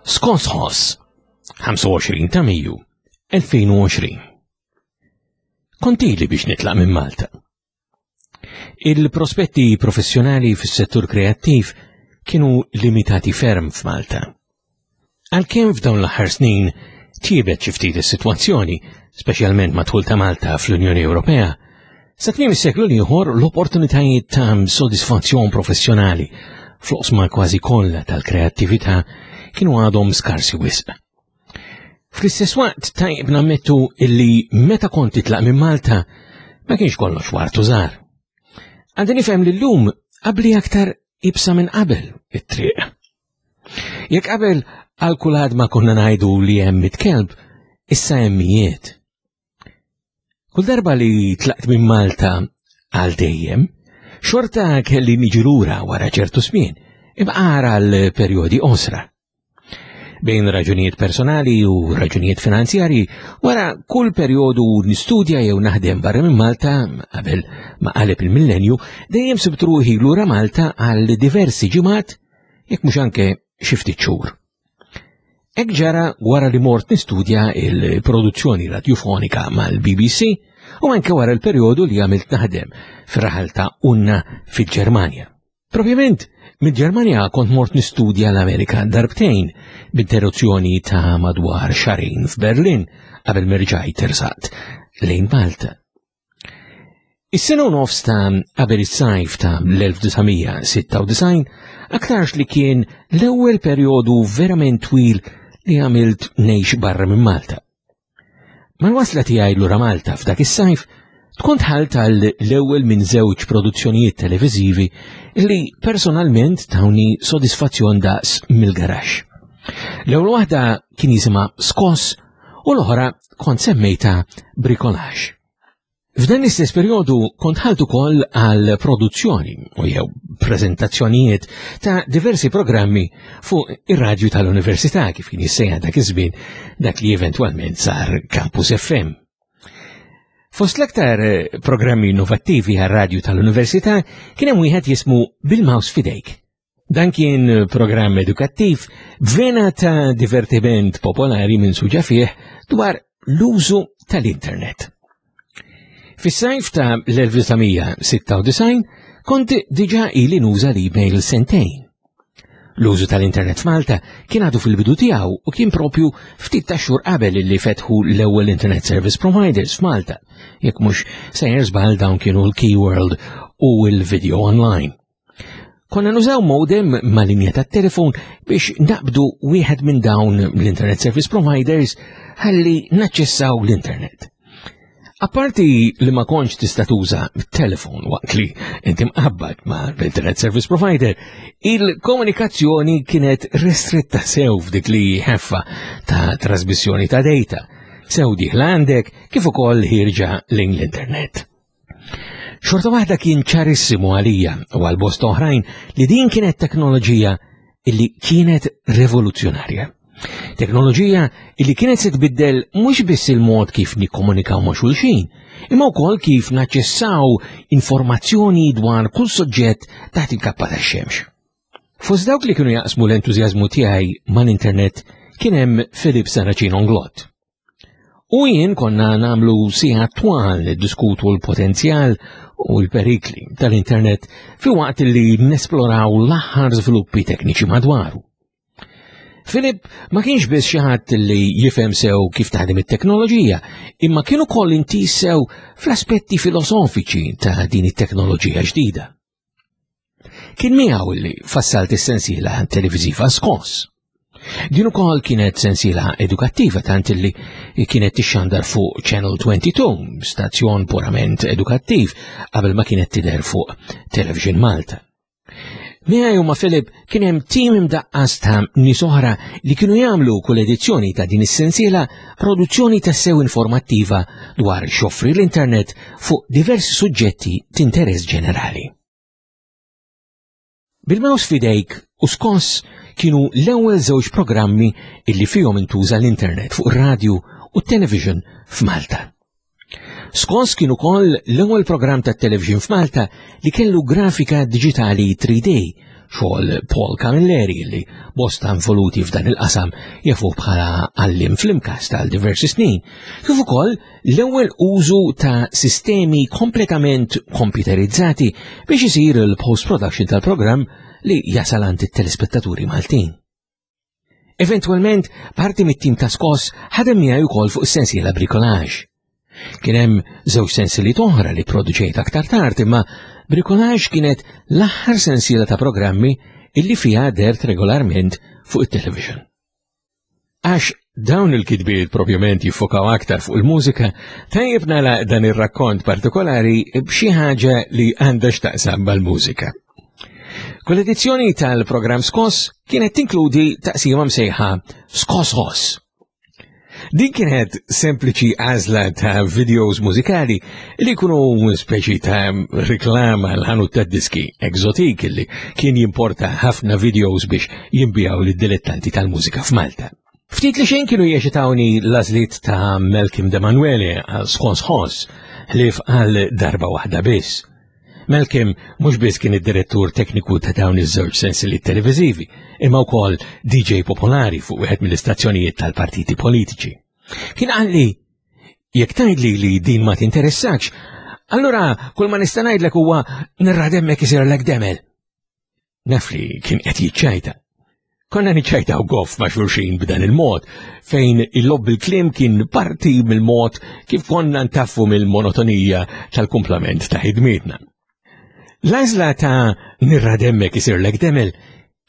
Skosħos, 25 ta' Mejju, 2020. Kontili biex nitlaq minn Malta. Il-prospetti professjonali fis-settur kreattiv kienu limitati ferm f'Malta. Għalkemm f'dawn l-aħħar snin tjiebet xi ftit is-sitwazzjoni, speċjalment madħul ta' Malta fl-Unjoni Ewropea, sa tmiem is-seklu l-ieħor l-opportunitajiet ta' sodisfazzjon professjonali fl-oqsma kważi kollha tal-kreattività kienu għadhom skarsi wisq. Fl-istess waqt tajjeb nammettu illi meta kont titlaq minn Malta ma kienx kollox wartu żgħar. Għandi nifhem li llum qabli aktar ibsa minn qabel it-triq. Jekk qabel għal kull ma konna ngħidu li hemm it-kelb, issa hemm mijiet. Kull darba li tlaqt minn Malta għal dejjem, xorta kelli niġi lura wara ċertu żmien, imma għal perjodi qosra. Bejn raġunijiet personali u raġunijiet finanzjarji, wara kull perjodu nistudja jew naħdem barra minn Malta qabel ma qaleb il-millenju, dejjem sibt ruħi lura Malta għal diversi ġimgħat jekk mhux anke xi ftit xhur. Hekk ġara wara li mort nistudja il-produzzjoni radjufonika mal-BBC u anke wara l-perjodu li għamilt naħdem fir-raħal ta' Unna fil-Ġermanja. Propjament, Mid-Ġermanja kont mort nistudja l-Amerika darbtejn b'interruzzjoni ta' madwar xarejn f'Berlin qabel merġajt tersaqt lejn Malta. Is-sena u nofs ta' qabel is-sajf ta' l-1996 aktarx li kien l-ewwel perjodu verament twil li għamilt ngħix barra minn Malta. Mal-wasla tiegħi lura Malta f'dak is-sajf, tkun tħalt għal l-ewwel minn żewġ produzzjonijiet televiżivi li personalment tawni sodisfazzjon daqs mill-garax. L-ewwel waħda kien jisimha Skoss u l-oħra kont semmejta Bricolage. F'dan l-istess perjodu kont ħalt ukoll għal produzzjoni u jew preżentazzjonijiet ta' diversi programmi fuq ir-radju tal-Università kif kien jissejjaħ dak iż-żmien dak li eventwalment sar Campus FM. Fost l-aktar eh, programmi innovattivi għar-radju tal-Università kien hemm wieħed jismu Bil-Maus Fidejk. Dan kien programm edukattiv b'vena ta' divertiment popolari minn suġa fih dwar l-użu tal-internet. Fis-sajf ta' l-1996 kont diġa ili nuża l-email sentejn. L-użu tal-internet f'Malta kien għadu fil-bidu tiegħu u kien propju ftit ta' xhur qabel li fetħu l-ewwel internet service providers f'Malta, jekk mhux sejjer żball dawn kienu l-Keyworld u l-Video Online. Konna nużaw modem ma' linja ta' telefon biex naqbdu wieħed minn dawn l-Internet Service Providers ħalli naċċessaw l-internet. Apparti li ma kontx tista' tuża telefon waqt li inti mqabbad ma' l-Internet Service Provider, il-komunikazzjoni kienet restretta sew f'dik li ħeffa ta' trasmissjoni ta' data, sew diħla għandek kif ukoll ħirġa lejn l-internet. Xorta waħda kien ċarissimu għalija u għal bosta oħrajn li din kienet teknoloġija illi kienet rivoluzzjonarja. Teknoloġija illi kienet se tbiddel mhux biss il-mod kif nikkomunikaw ma' xulxin, imma wkoll kif naċċessaw informazzjoni dwar kull soġġett taħt il-kappa tax-xemx. Fost dawk li kienu jaqsmu l-entużjażmu tiegħi mal-internet kien hemm Philip Saracino Onglot. U jien konna namlu sija twal niddiskutu l-potenzjal u l-perikli tal-internet fi waqt li nesploraw l-aħħar żviluppi tekniċi madwaru. Filip ma kienx biss xi ħadd li jifhem sew kif taħdem it-teknoloġija, imma kien ukoll intis sew fl-aspetti filosofiċi ta' din it-teknoloġija ġdida. Kien miegħu li fassalt is-sensiela televiżiva Skoss. Din ukoll kienet sensiela edukattiva tant li kienet tixxandar fuq Channel 22, stazzjon purament edukattiv, qabel ma kienet tidher fuq Television Malta. Miegħi u ma' Philip kien hemm tim imdaqqas ta' nies oħra li kienu jagħmlu kull edizzjoni ta' din is-sensiela produzzjoni tassew informattiva dwar x'joffri l-internet fuq diversi suġġetti t'interess ġenerali. Bil-Maus f'idejk u Skoss kienu l-ewwel żewġ programmi illi fihom intuża l-internet fuq ir-radju u t-television f'Malta. Skoss kien ukoll l-ewwel programm tat-television f'Malta li kellu grafika diġitali 3D xogħol Paul Camilleri li bosta involuti f'dan il-qasam jafuh bħala għallim fl-imkast għal diversi snin, kif ukoll l-ewwel użu ta' sistemi kompletament komputerizzati biex isir il-post-production tal-programm li jasal għand it-telespettaturi Maltin. Eventwalment, parti mit-tim ta' Skoss ħadem miegħi wkoll fuq is-sensiela Bricolage. Kien hemm żewġ sensiliet oħra li produċejt aktar tard, imma Bricolage kienet l-aħħar sensiela ta' programmi illi fiha dert regolarment fuq it-television. Għax dawn il-kitbiet propjament jiffokaw aktar fuq il-mużika, tajjeb nagħlaq dan ir-rakkont partikolari b'xi ħaġa li għandha x'taqsam mal-mużika. Kull edizzjoni tal-programm Skoss kienet tinkludi taqsima msejħa Skoss Hoss. Din kienet sempliċi għażla ta' videos mużikali li jkunu speċi ta' riklama l-ħanut ta' diski Exotic li kien jimporta ħafna videos biex jimbijaw lid-dilettanti tal-mużika f'Malta. Ftit li xejn kienu jeċitawni l-għażliet ta' Malcolm De Manuele għal Skons Hoss ħlief għal darba waħda biss. Malcolm mhux biss kien id-direttur tekniku ta' dawn iż-żewġ sensiliet televiżivi, imma wkoll DJ popolari fuq wieħed mill-istazzjonijiet tal-partiti politiċi. Kien qalli, jekk tgħidli li din ma tinteressakx, allura kull ma nista' ngħidlek huwa nirrademmek isirlek demel. Naf li kien qed jiċċajta. Konna niċċajtaw goff ma' xulxin b'dan il-mod, fejn il-lob bil-kliem kien parti mill-mod kif konna ntaffu mill-monotonija tal-kumplament ta' ħidmietna. L-għażla ta' nirra demmek isirlek demel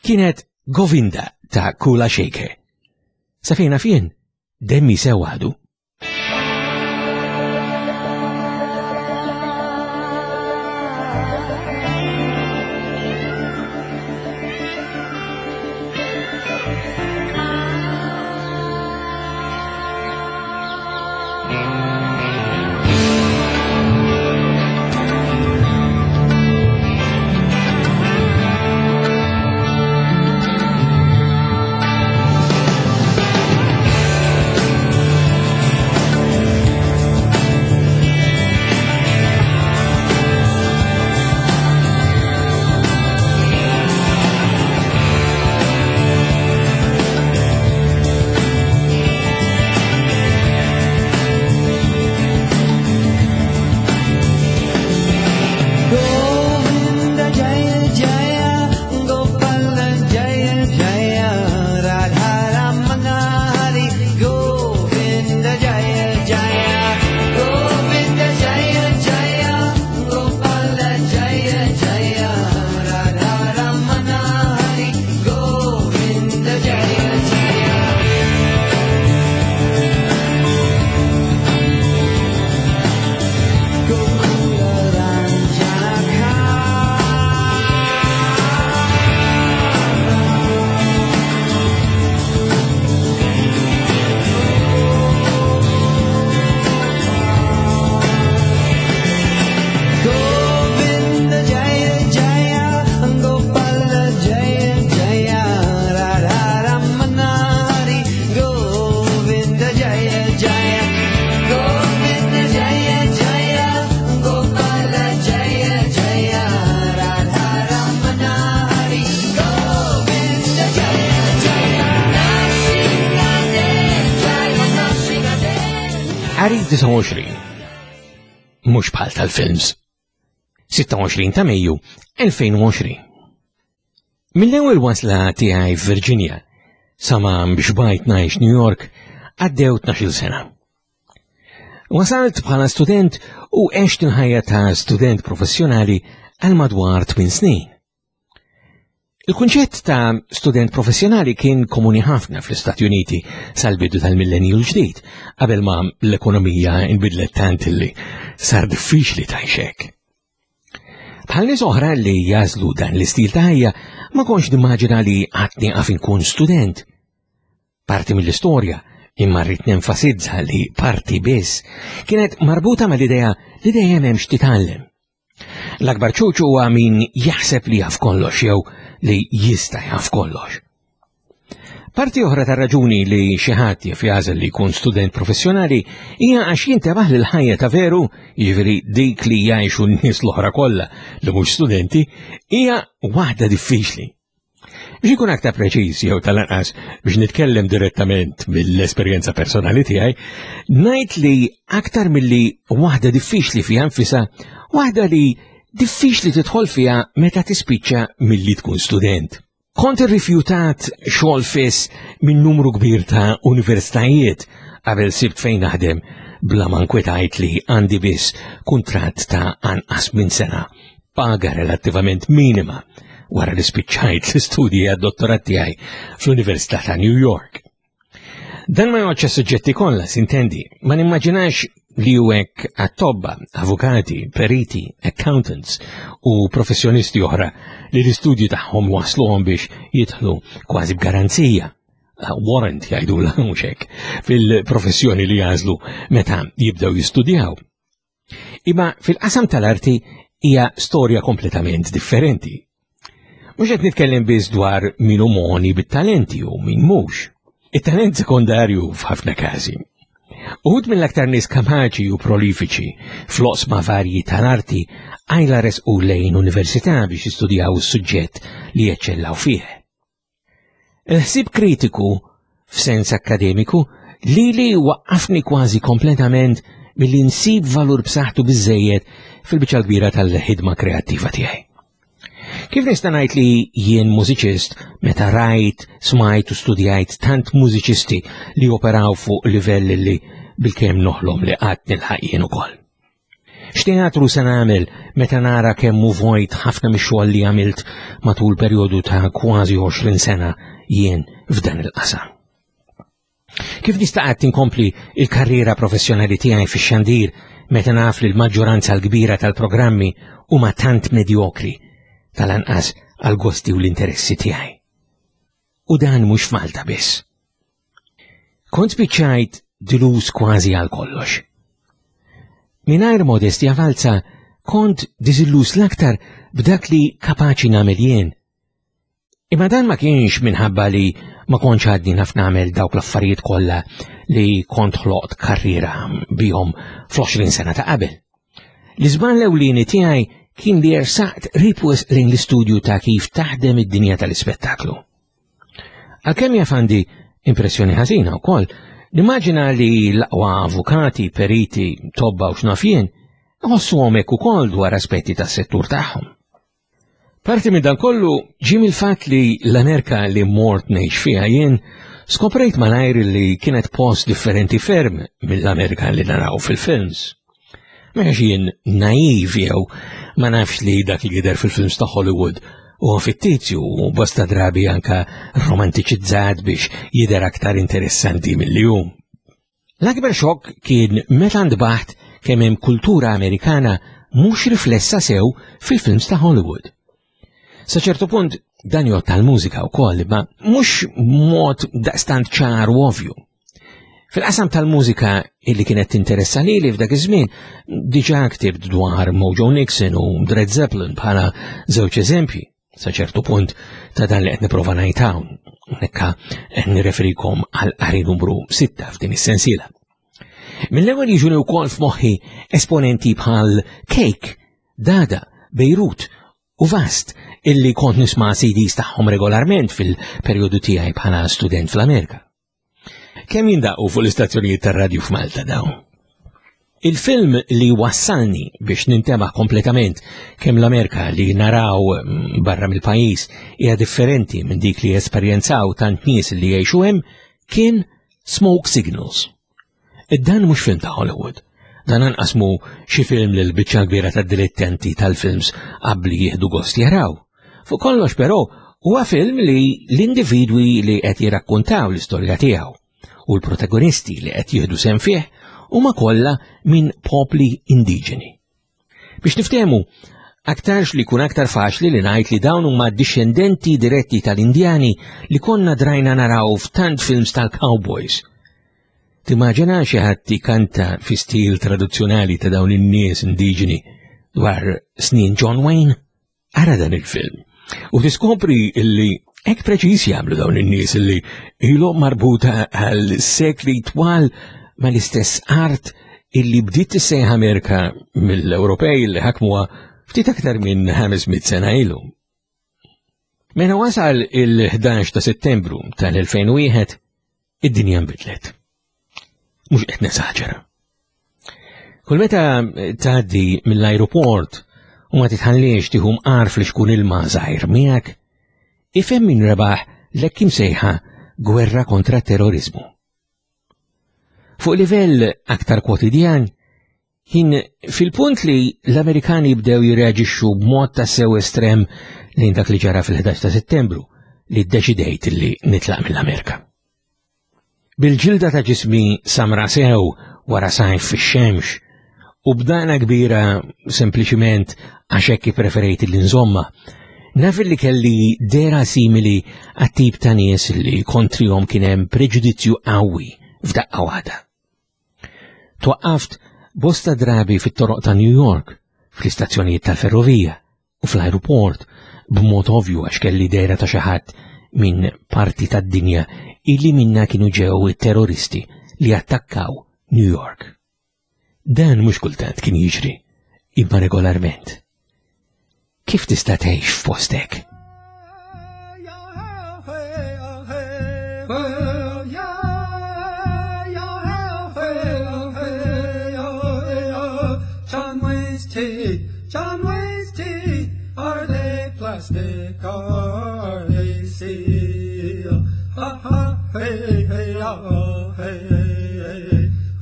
kienet Govinda ta' Kula Shaker. Sa fejna fien, demmi sew għadu. Ari 29. Mhux bħal tal-films. 26 ta' Mejju 2020. Mill-ewwel wasla tiegħi f'Virginia sa ma biex bajt ngħix New York għaddew 12-il sena. Wasalt bħala student u għext il-ħajja ta' student professjonali għal madwar 8 snin. Il-kunċett ta' student professjonali kien komuni ħafna fl-Istati Uniti sal-bidu tal-millenju l-ġdid, qabel ma l-ekonomija inbidlet tant li sar diffiċli tgħix Bħal nies oħra li jażlu dan l-istil ta' ħajja, ma kontx nimmaġina li qatt nieqaf inkun student. Parti mill-istorja, imma rrid nenfasizza li parti biss, kienet marbuta mal-idea li dejjem hemm x'titgħallem. L-akbar ċuċ huwa min jaħseb li jaf kollox jew li jista' jaf kollox. Parti oħra ta' raġuni li xi ħadd jaf jażel li jkun student professjonali hija għax jintebaħ li l-ħajja ta' veru, jiġifieri dik li jgħixu n-nies l-oħra kollha li mhux studenti, hija waħda diffiċli. Biex ikun aktar preċiż jew tal-anqas biex nitkellem direttament mill-esperjenza personali tiegħi, ngħid li aktar milli waħda diffiċli fiha nfisha, waħda li diffiċli tidħol fiha meta tispiċċa milli tkun student. Kont irrifjutat xogħol fiss minn numru kbir ta' universitajiet qabel sibt fejn naħdem bla ma nkwetajt li għandi biss kuntratt ta' anqas minn sena paga relattivament minima wara li spiċċajt l-istudji għad-dottorat tiegħi fl-Università ta' New York. Dan ma joċċa suġġetti kollha, sintendi, ma nimmaġinax li hu hekk għat-tobba, avukati, periti, accountants u professjonisti oħra li l-istudji tagħhom wasluhom biex jidħlu kważi b'garanzija warrant jgħidulha mhux hekk fil-professjoni li jażlu meta jibdew jistudjaw. Imma fil-qasam tal-arti hija storja kompletament differenti. Mhux qed nitkellem biss dwar min hu moni bit-talenti u min mhux. It-talent sekondarju f'ħafna każi. Uħud mill-aktar nies kapaċi u prolifiċi fl-oqsma varji tal-arti għajla resqu lejn università biex jistudjaw is-suġġett li jeċċellaw fih. Il-ħsieb kritiku, f'sens akkademiku, lili waqqafni kważi kompletament milli nsib valur b'saħħtu biżejjed fil-biċċa kbira tal-ħidma kreattiva tiegħi. Kif nista' ngħid li jien mużiċist meta rajt, smajt u studjajt tant mużiċisti li operaw fuq livell li bilkemm noħlom li qatt nilħaq jien ukoll? X'teatru se nagħmel meta nara kemm hu vojt ħafna mix-xogħol li għamilt matul perjodu ta' kważi 20 sena jien f'dan il-qasam? Kif nista' qatt inkompli il-karriera professjonali tiegħi fix-xandir meta naf li l-maġġoranza l-kbira tal-programmi huma tant medjokri tal-anqas għal gosti u l-interessi tiegħi? U dan mhux f'Malta biss. Kont spiċċajt dilus kważi għal kollox. Mingħajr modestja falza kont diżillus l-aktar b'dak li kapaċi nagħmel jien. Imma dan ma kienx minħabba li ma kontx għadni naf nagħmel dawk l-affarijiet kollha li kont ħloqt karriera bihom fl-20 sena ta' qabel. L-iżball ewlieni tiegħi kien li ersaqt ripwes lejn l-istudju ta' kif taħdem id-dinja tal-ispettaklu. Għalkemm jaf għandi impressjoni ħażina wkoll, nimmaġina li l-aqwa avukati, periti, tobba u x'naf jien iħossuhom hekk ukoll dwar aspetti tas-settur tagħhom. Parti minn dan kollu ġie mill-fatt li l-Amerika li mort ngħix fiha jien skoprejt malajr li kienet post differenti ferm mill-Amerika li naraw fil-films. Mhux jien naiv jew ma nafx li dak li jidher fil-films ta' Hollywood huwa fittizju u bosta drabi anka romantiċizzat biex jidher aktar interessanti milli hu. L-akbar xokk kien meta ntbaħt kemm hemm kultura Amerikana mhux riflessa sew fil-films ta' Hollywood. Sa ċertu punt dan jgħod tal-mużika wkoll, imma mhux mod daqstant ċar u ovvju. Fil-qasam tal-mużika illi kienet tinteressa lili f'dak iż-żmien, diġà ktibt dwar Mojo Nixon u Led Zeppelin bħala żewġ eżempji. Sa ċertu punt ta' dan li qed nipprova ngħid hawn, hekka qed nirreferikom għal qari numru 6 f'din is-sensiela. Mill-ewwel jiġuni wkoll f'moħħi esponenti bħal Cake, Dada, Beirut u Vast illi kont nisma' CDs tagħhom regolarment fil-perjodu tiegħi bħala student fl-Amerika. Kemm jindaqqu fuq l-istazzjonijiet tar-radju f'Malta dawn? Il-film li wassalni biex nintema kompletament kemm l-Amerika li naraw mm, barra mill-pajjiż hija differenti minn dik li esperjenzaw tant nies li jgħixu hemm kien Smoke Signals. Dan mhux film ta' Hollywood. Dan anqas mu xi film li l-biċċa kbira tad-dilettanti tal-films qabli jieħdu gost jaraw. Fuq kollox però huwa film li l-individwi li qed jirrakkuntaw l-istorja tiegħu u l-protagonisti li qed jieħdu sehem fih huma kollha minn popli indiġeni. Biex niftehmu, aktarx li jkun aktar faċli li ngħid li dawn huma dixxendenti diretti tal-Indjani li konna drajna naraw f'tant films tal-cowboys. Timmaġina xi ħadd ikanta fi stil tradizzjonali ta' dawn in-nies indiġeni dwar snin John Wayne? Ara dan il-film u tiskopri illi hekk preċiż jagħmlu dawn in-nies illi ilhom marbuta għal sekli twal mal-istess art illi bdiet tissejjaħ Amerika mill-Ewropej li ħakmuha ftit aktar minn 500 sena ilu. Meta wasal il-11 ta' Settembru tal-2001, id-dinja nbidlet. Mhux qed nesaġera. Kull meta tgħaddi mill-ajruport u ma titħalliex tieħu mqar fl-xkun ilma żgħir miegħek, ifhem min rebaħ l-hekk imsejħa gwerra kontra terrorizmu. Fuq livell aktar kwotidjan, kien fil-punt li l-Amerikani bdew jirreaġixxu b'mod ta' sew estrem lejn dak li ġara fil-11 ta' Settembru li ddeċidejt li nitlaq mill-Amerika. Bil-ġilda ta' ġismi samra sew wara sajf fix-xemx u b'dana kbira sempliċiment għax hekk ippreferejt li nżomma, naf li kelli dera simili għat-tip ta' nies li kontrihom kien hemm preġudizzju qawwi f'daqqa waħda. Twaqqaft bosta drabi fit-toroq ta' New York, fl-istazzjonijiet tal-ferrovija, u fl-ajruport b'mod ovvju għax kelli dehra ta' xi ħadd minn parti tad-dinja illi minna kienu ġew it-terroristi li attakkaw New York. Dan mhux kultant kien jiġri, imma regolarment. Kif tista' tgħix f'postek? hey oh hey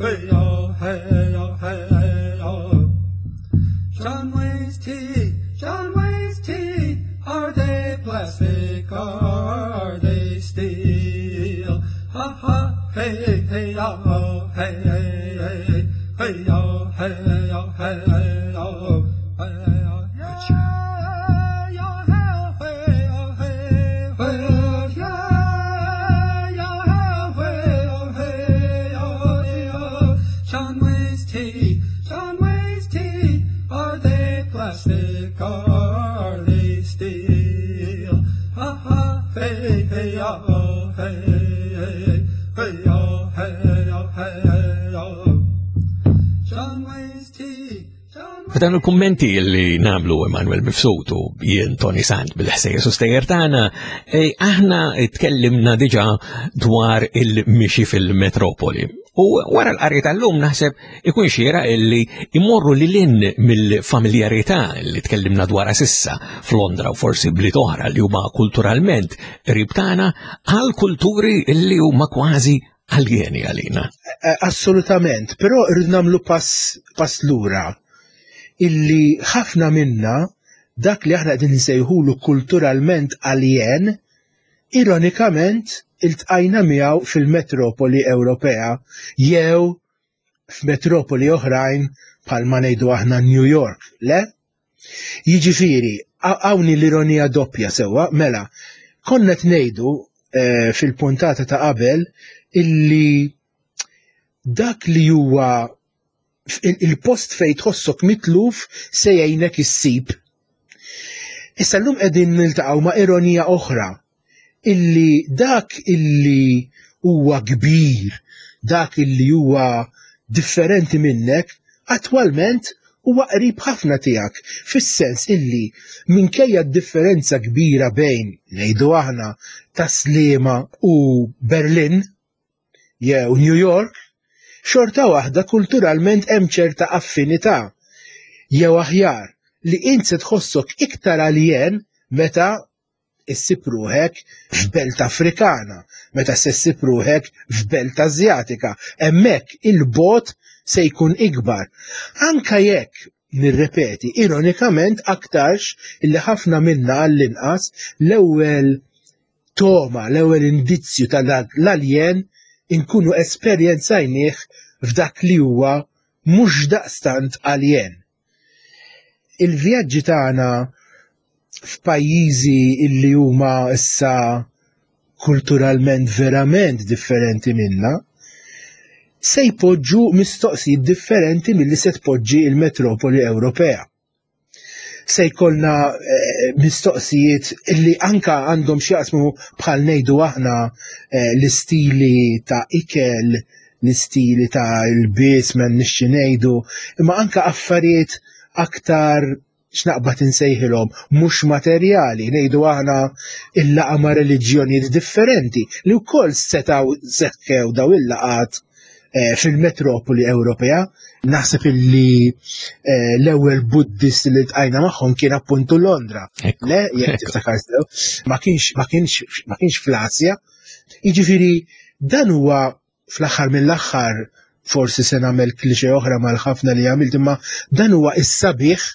hey oh hey oh hey oh. John Wayne's tea, John Wayne's tea, are they plastic or are they steel? Ha ha hey hey oh hey hey hey oh hey oh hey oh hey oh yeah yeah hey oh hey hey yeah yeah hey oh hey oh oh John Wayne's tea, John Wayne's tea, are they plastic or are they steel? Ha ha hey hey oh hey hey hey oh hey oh hey oh John Wayne's tea, John F'dan il-kummenti li namlu Emanuel Mifsud u jien Tony Sant bil-ħsejjes u stejjer tagħna, eh, aħna tkellimna diġà dwar il-mixi fil-metropoli. U wara l-qari tal-lum naħseb ikun xiera illi imorru lil hinn mill-familjarità li tkellimna dwarha sissa f'Londra u forsi bliet oħra li huma kulturalment qrib tagħna għal kulturi li huma kważi aljeni għalina. Eh, assolutament, però rrid nagħmlu pass, pass lura illi ħafna minna dak li aħna qegħdin nsejħulu kulturalment aljen, ironikament iltqajna miegħu fil-metropoli Ewropea jew f'metropoli oħrajn bħalma ngħidu aħna New York, le? Jiġifieri, hawn l-ironija doppja sewwa, mela, konna qed ngħidu eh, fil-puntata ta' qabel illi dak li huwa il-post fejn tħossok mitluf se jgħinek issib. Issa llum qegħdin niltaqgħu ma' ironija oħra illi dak illi huwa kbir, dak illi huwa differenti minnek, attwalment huwa qrib ħafna tiegħek, fis-sens illi minkejja d-differenza kbira bejn, ngħidu aħna, Tas-Sliema u Berlin jew New York, xorta waħda kulturalment hemm ċerta affinità, jew aħjar, li int se tħossok iktar aljen meta issib ruħek f'belt Afrikana, meta se ssib ruħek f'belt Asjatika, hemmhekk il-bogħod se jkun ikbar. Anka jekk, nirrepeti, ironikament aktarx illi ħafna minna għall-inqas l-ewwel togħma, l-ewwel indizzju ta' dak l-aljen inkunu esperjenzajnieh f'dak li huwa mhux daqstant aljen. Il-vjaġġi tagħna f'pajjiżi illi huma issa kulturalment verament differenti minna, se jpoġġu mistoqsijiet differenti milli se tpoġġi il-metropoli Ewropea. Se jkollna eh, mistoqsijiet illi anka għandhom x'jaqsmu bħal ngħidu aħna eh, l-istili ta' ikel, l-istili ta' l-bies ma nixxi ngħidu, imma anka affarijiet aktar x'naqbad insejħilhom mhux materjali, ngħidu aħna il-laqa ma' reliġjonijiet differenti li wkoll setgħu seħħew daw il-laqat eh, fil-metropoli Ewropea. Naħseb illi eh, l-ewwel Buddist li tqajna magħhom kien appuntu Londra. Le, jekk tiftakar sew, ma kienx ma kienx ma kienx fl-Asja. Jiġifieri dan huwa fl-aħħar mill-aħħar forsi se nagħmel klixe oħra mal-ħafna li għamilt imma dan huwa is-sabiħ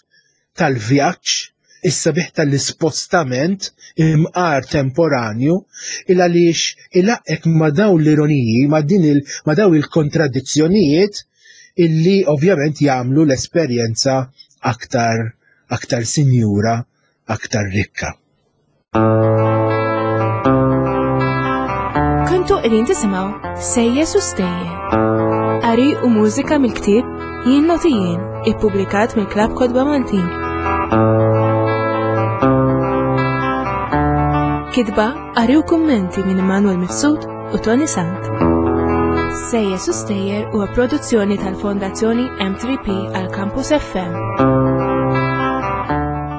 tal-vjaġġ, is-sabiħ tal-ispostament imqar temporanju il għaliex ilaqqek ma' dawn l-ironiji, ma' din il ma' dawn il-kontradizzjonijiet illi ovvjament jagħmlu l-esperjenza aktar aktar sinjura, aktar rikka. Kontu qegħdin tisimgħu Sejjes u Stejjer. Qari u mużika mill-ktieb Jien Noti Jien, ippubblikat mill-Klabb Kotba Maltin. Kitba, qari u kummenti minn Immanuel Mifsud u Tony Sant. Sejjes u Stejjer huwa produzzjoni tal-Fondazzjoni M3P għal Campus FM.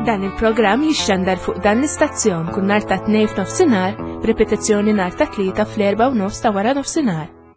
Dan il-programm jixxandar fuq dan l-istazzjon kull nhar ta' tnejn f'nofsinhar b'ripetizzjoni nhar ta' tlieta fl-erba' u nofs ta' wara nofsinhar.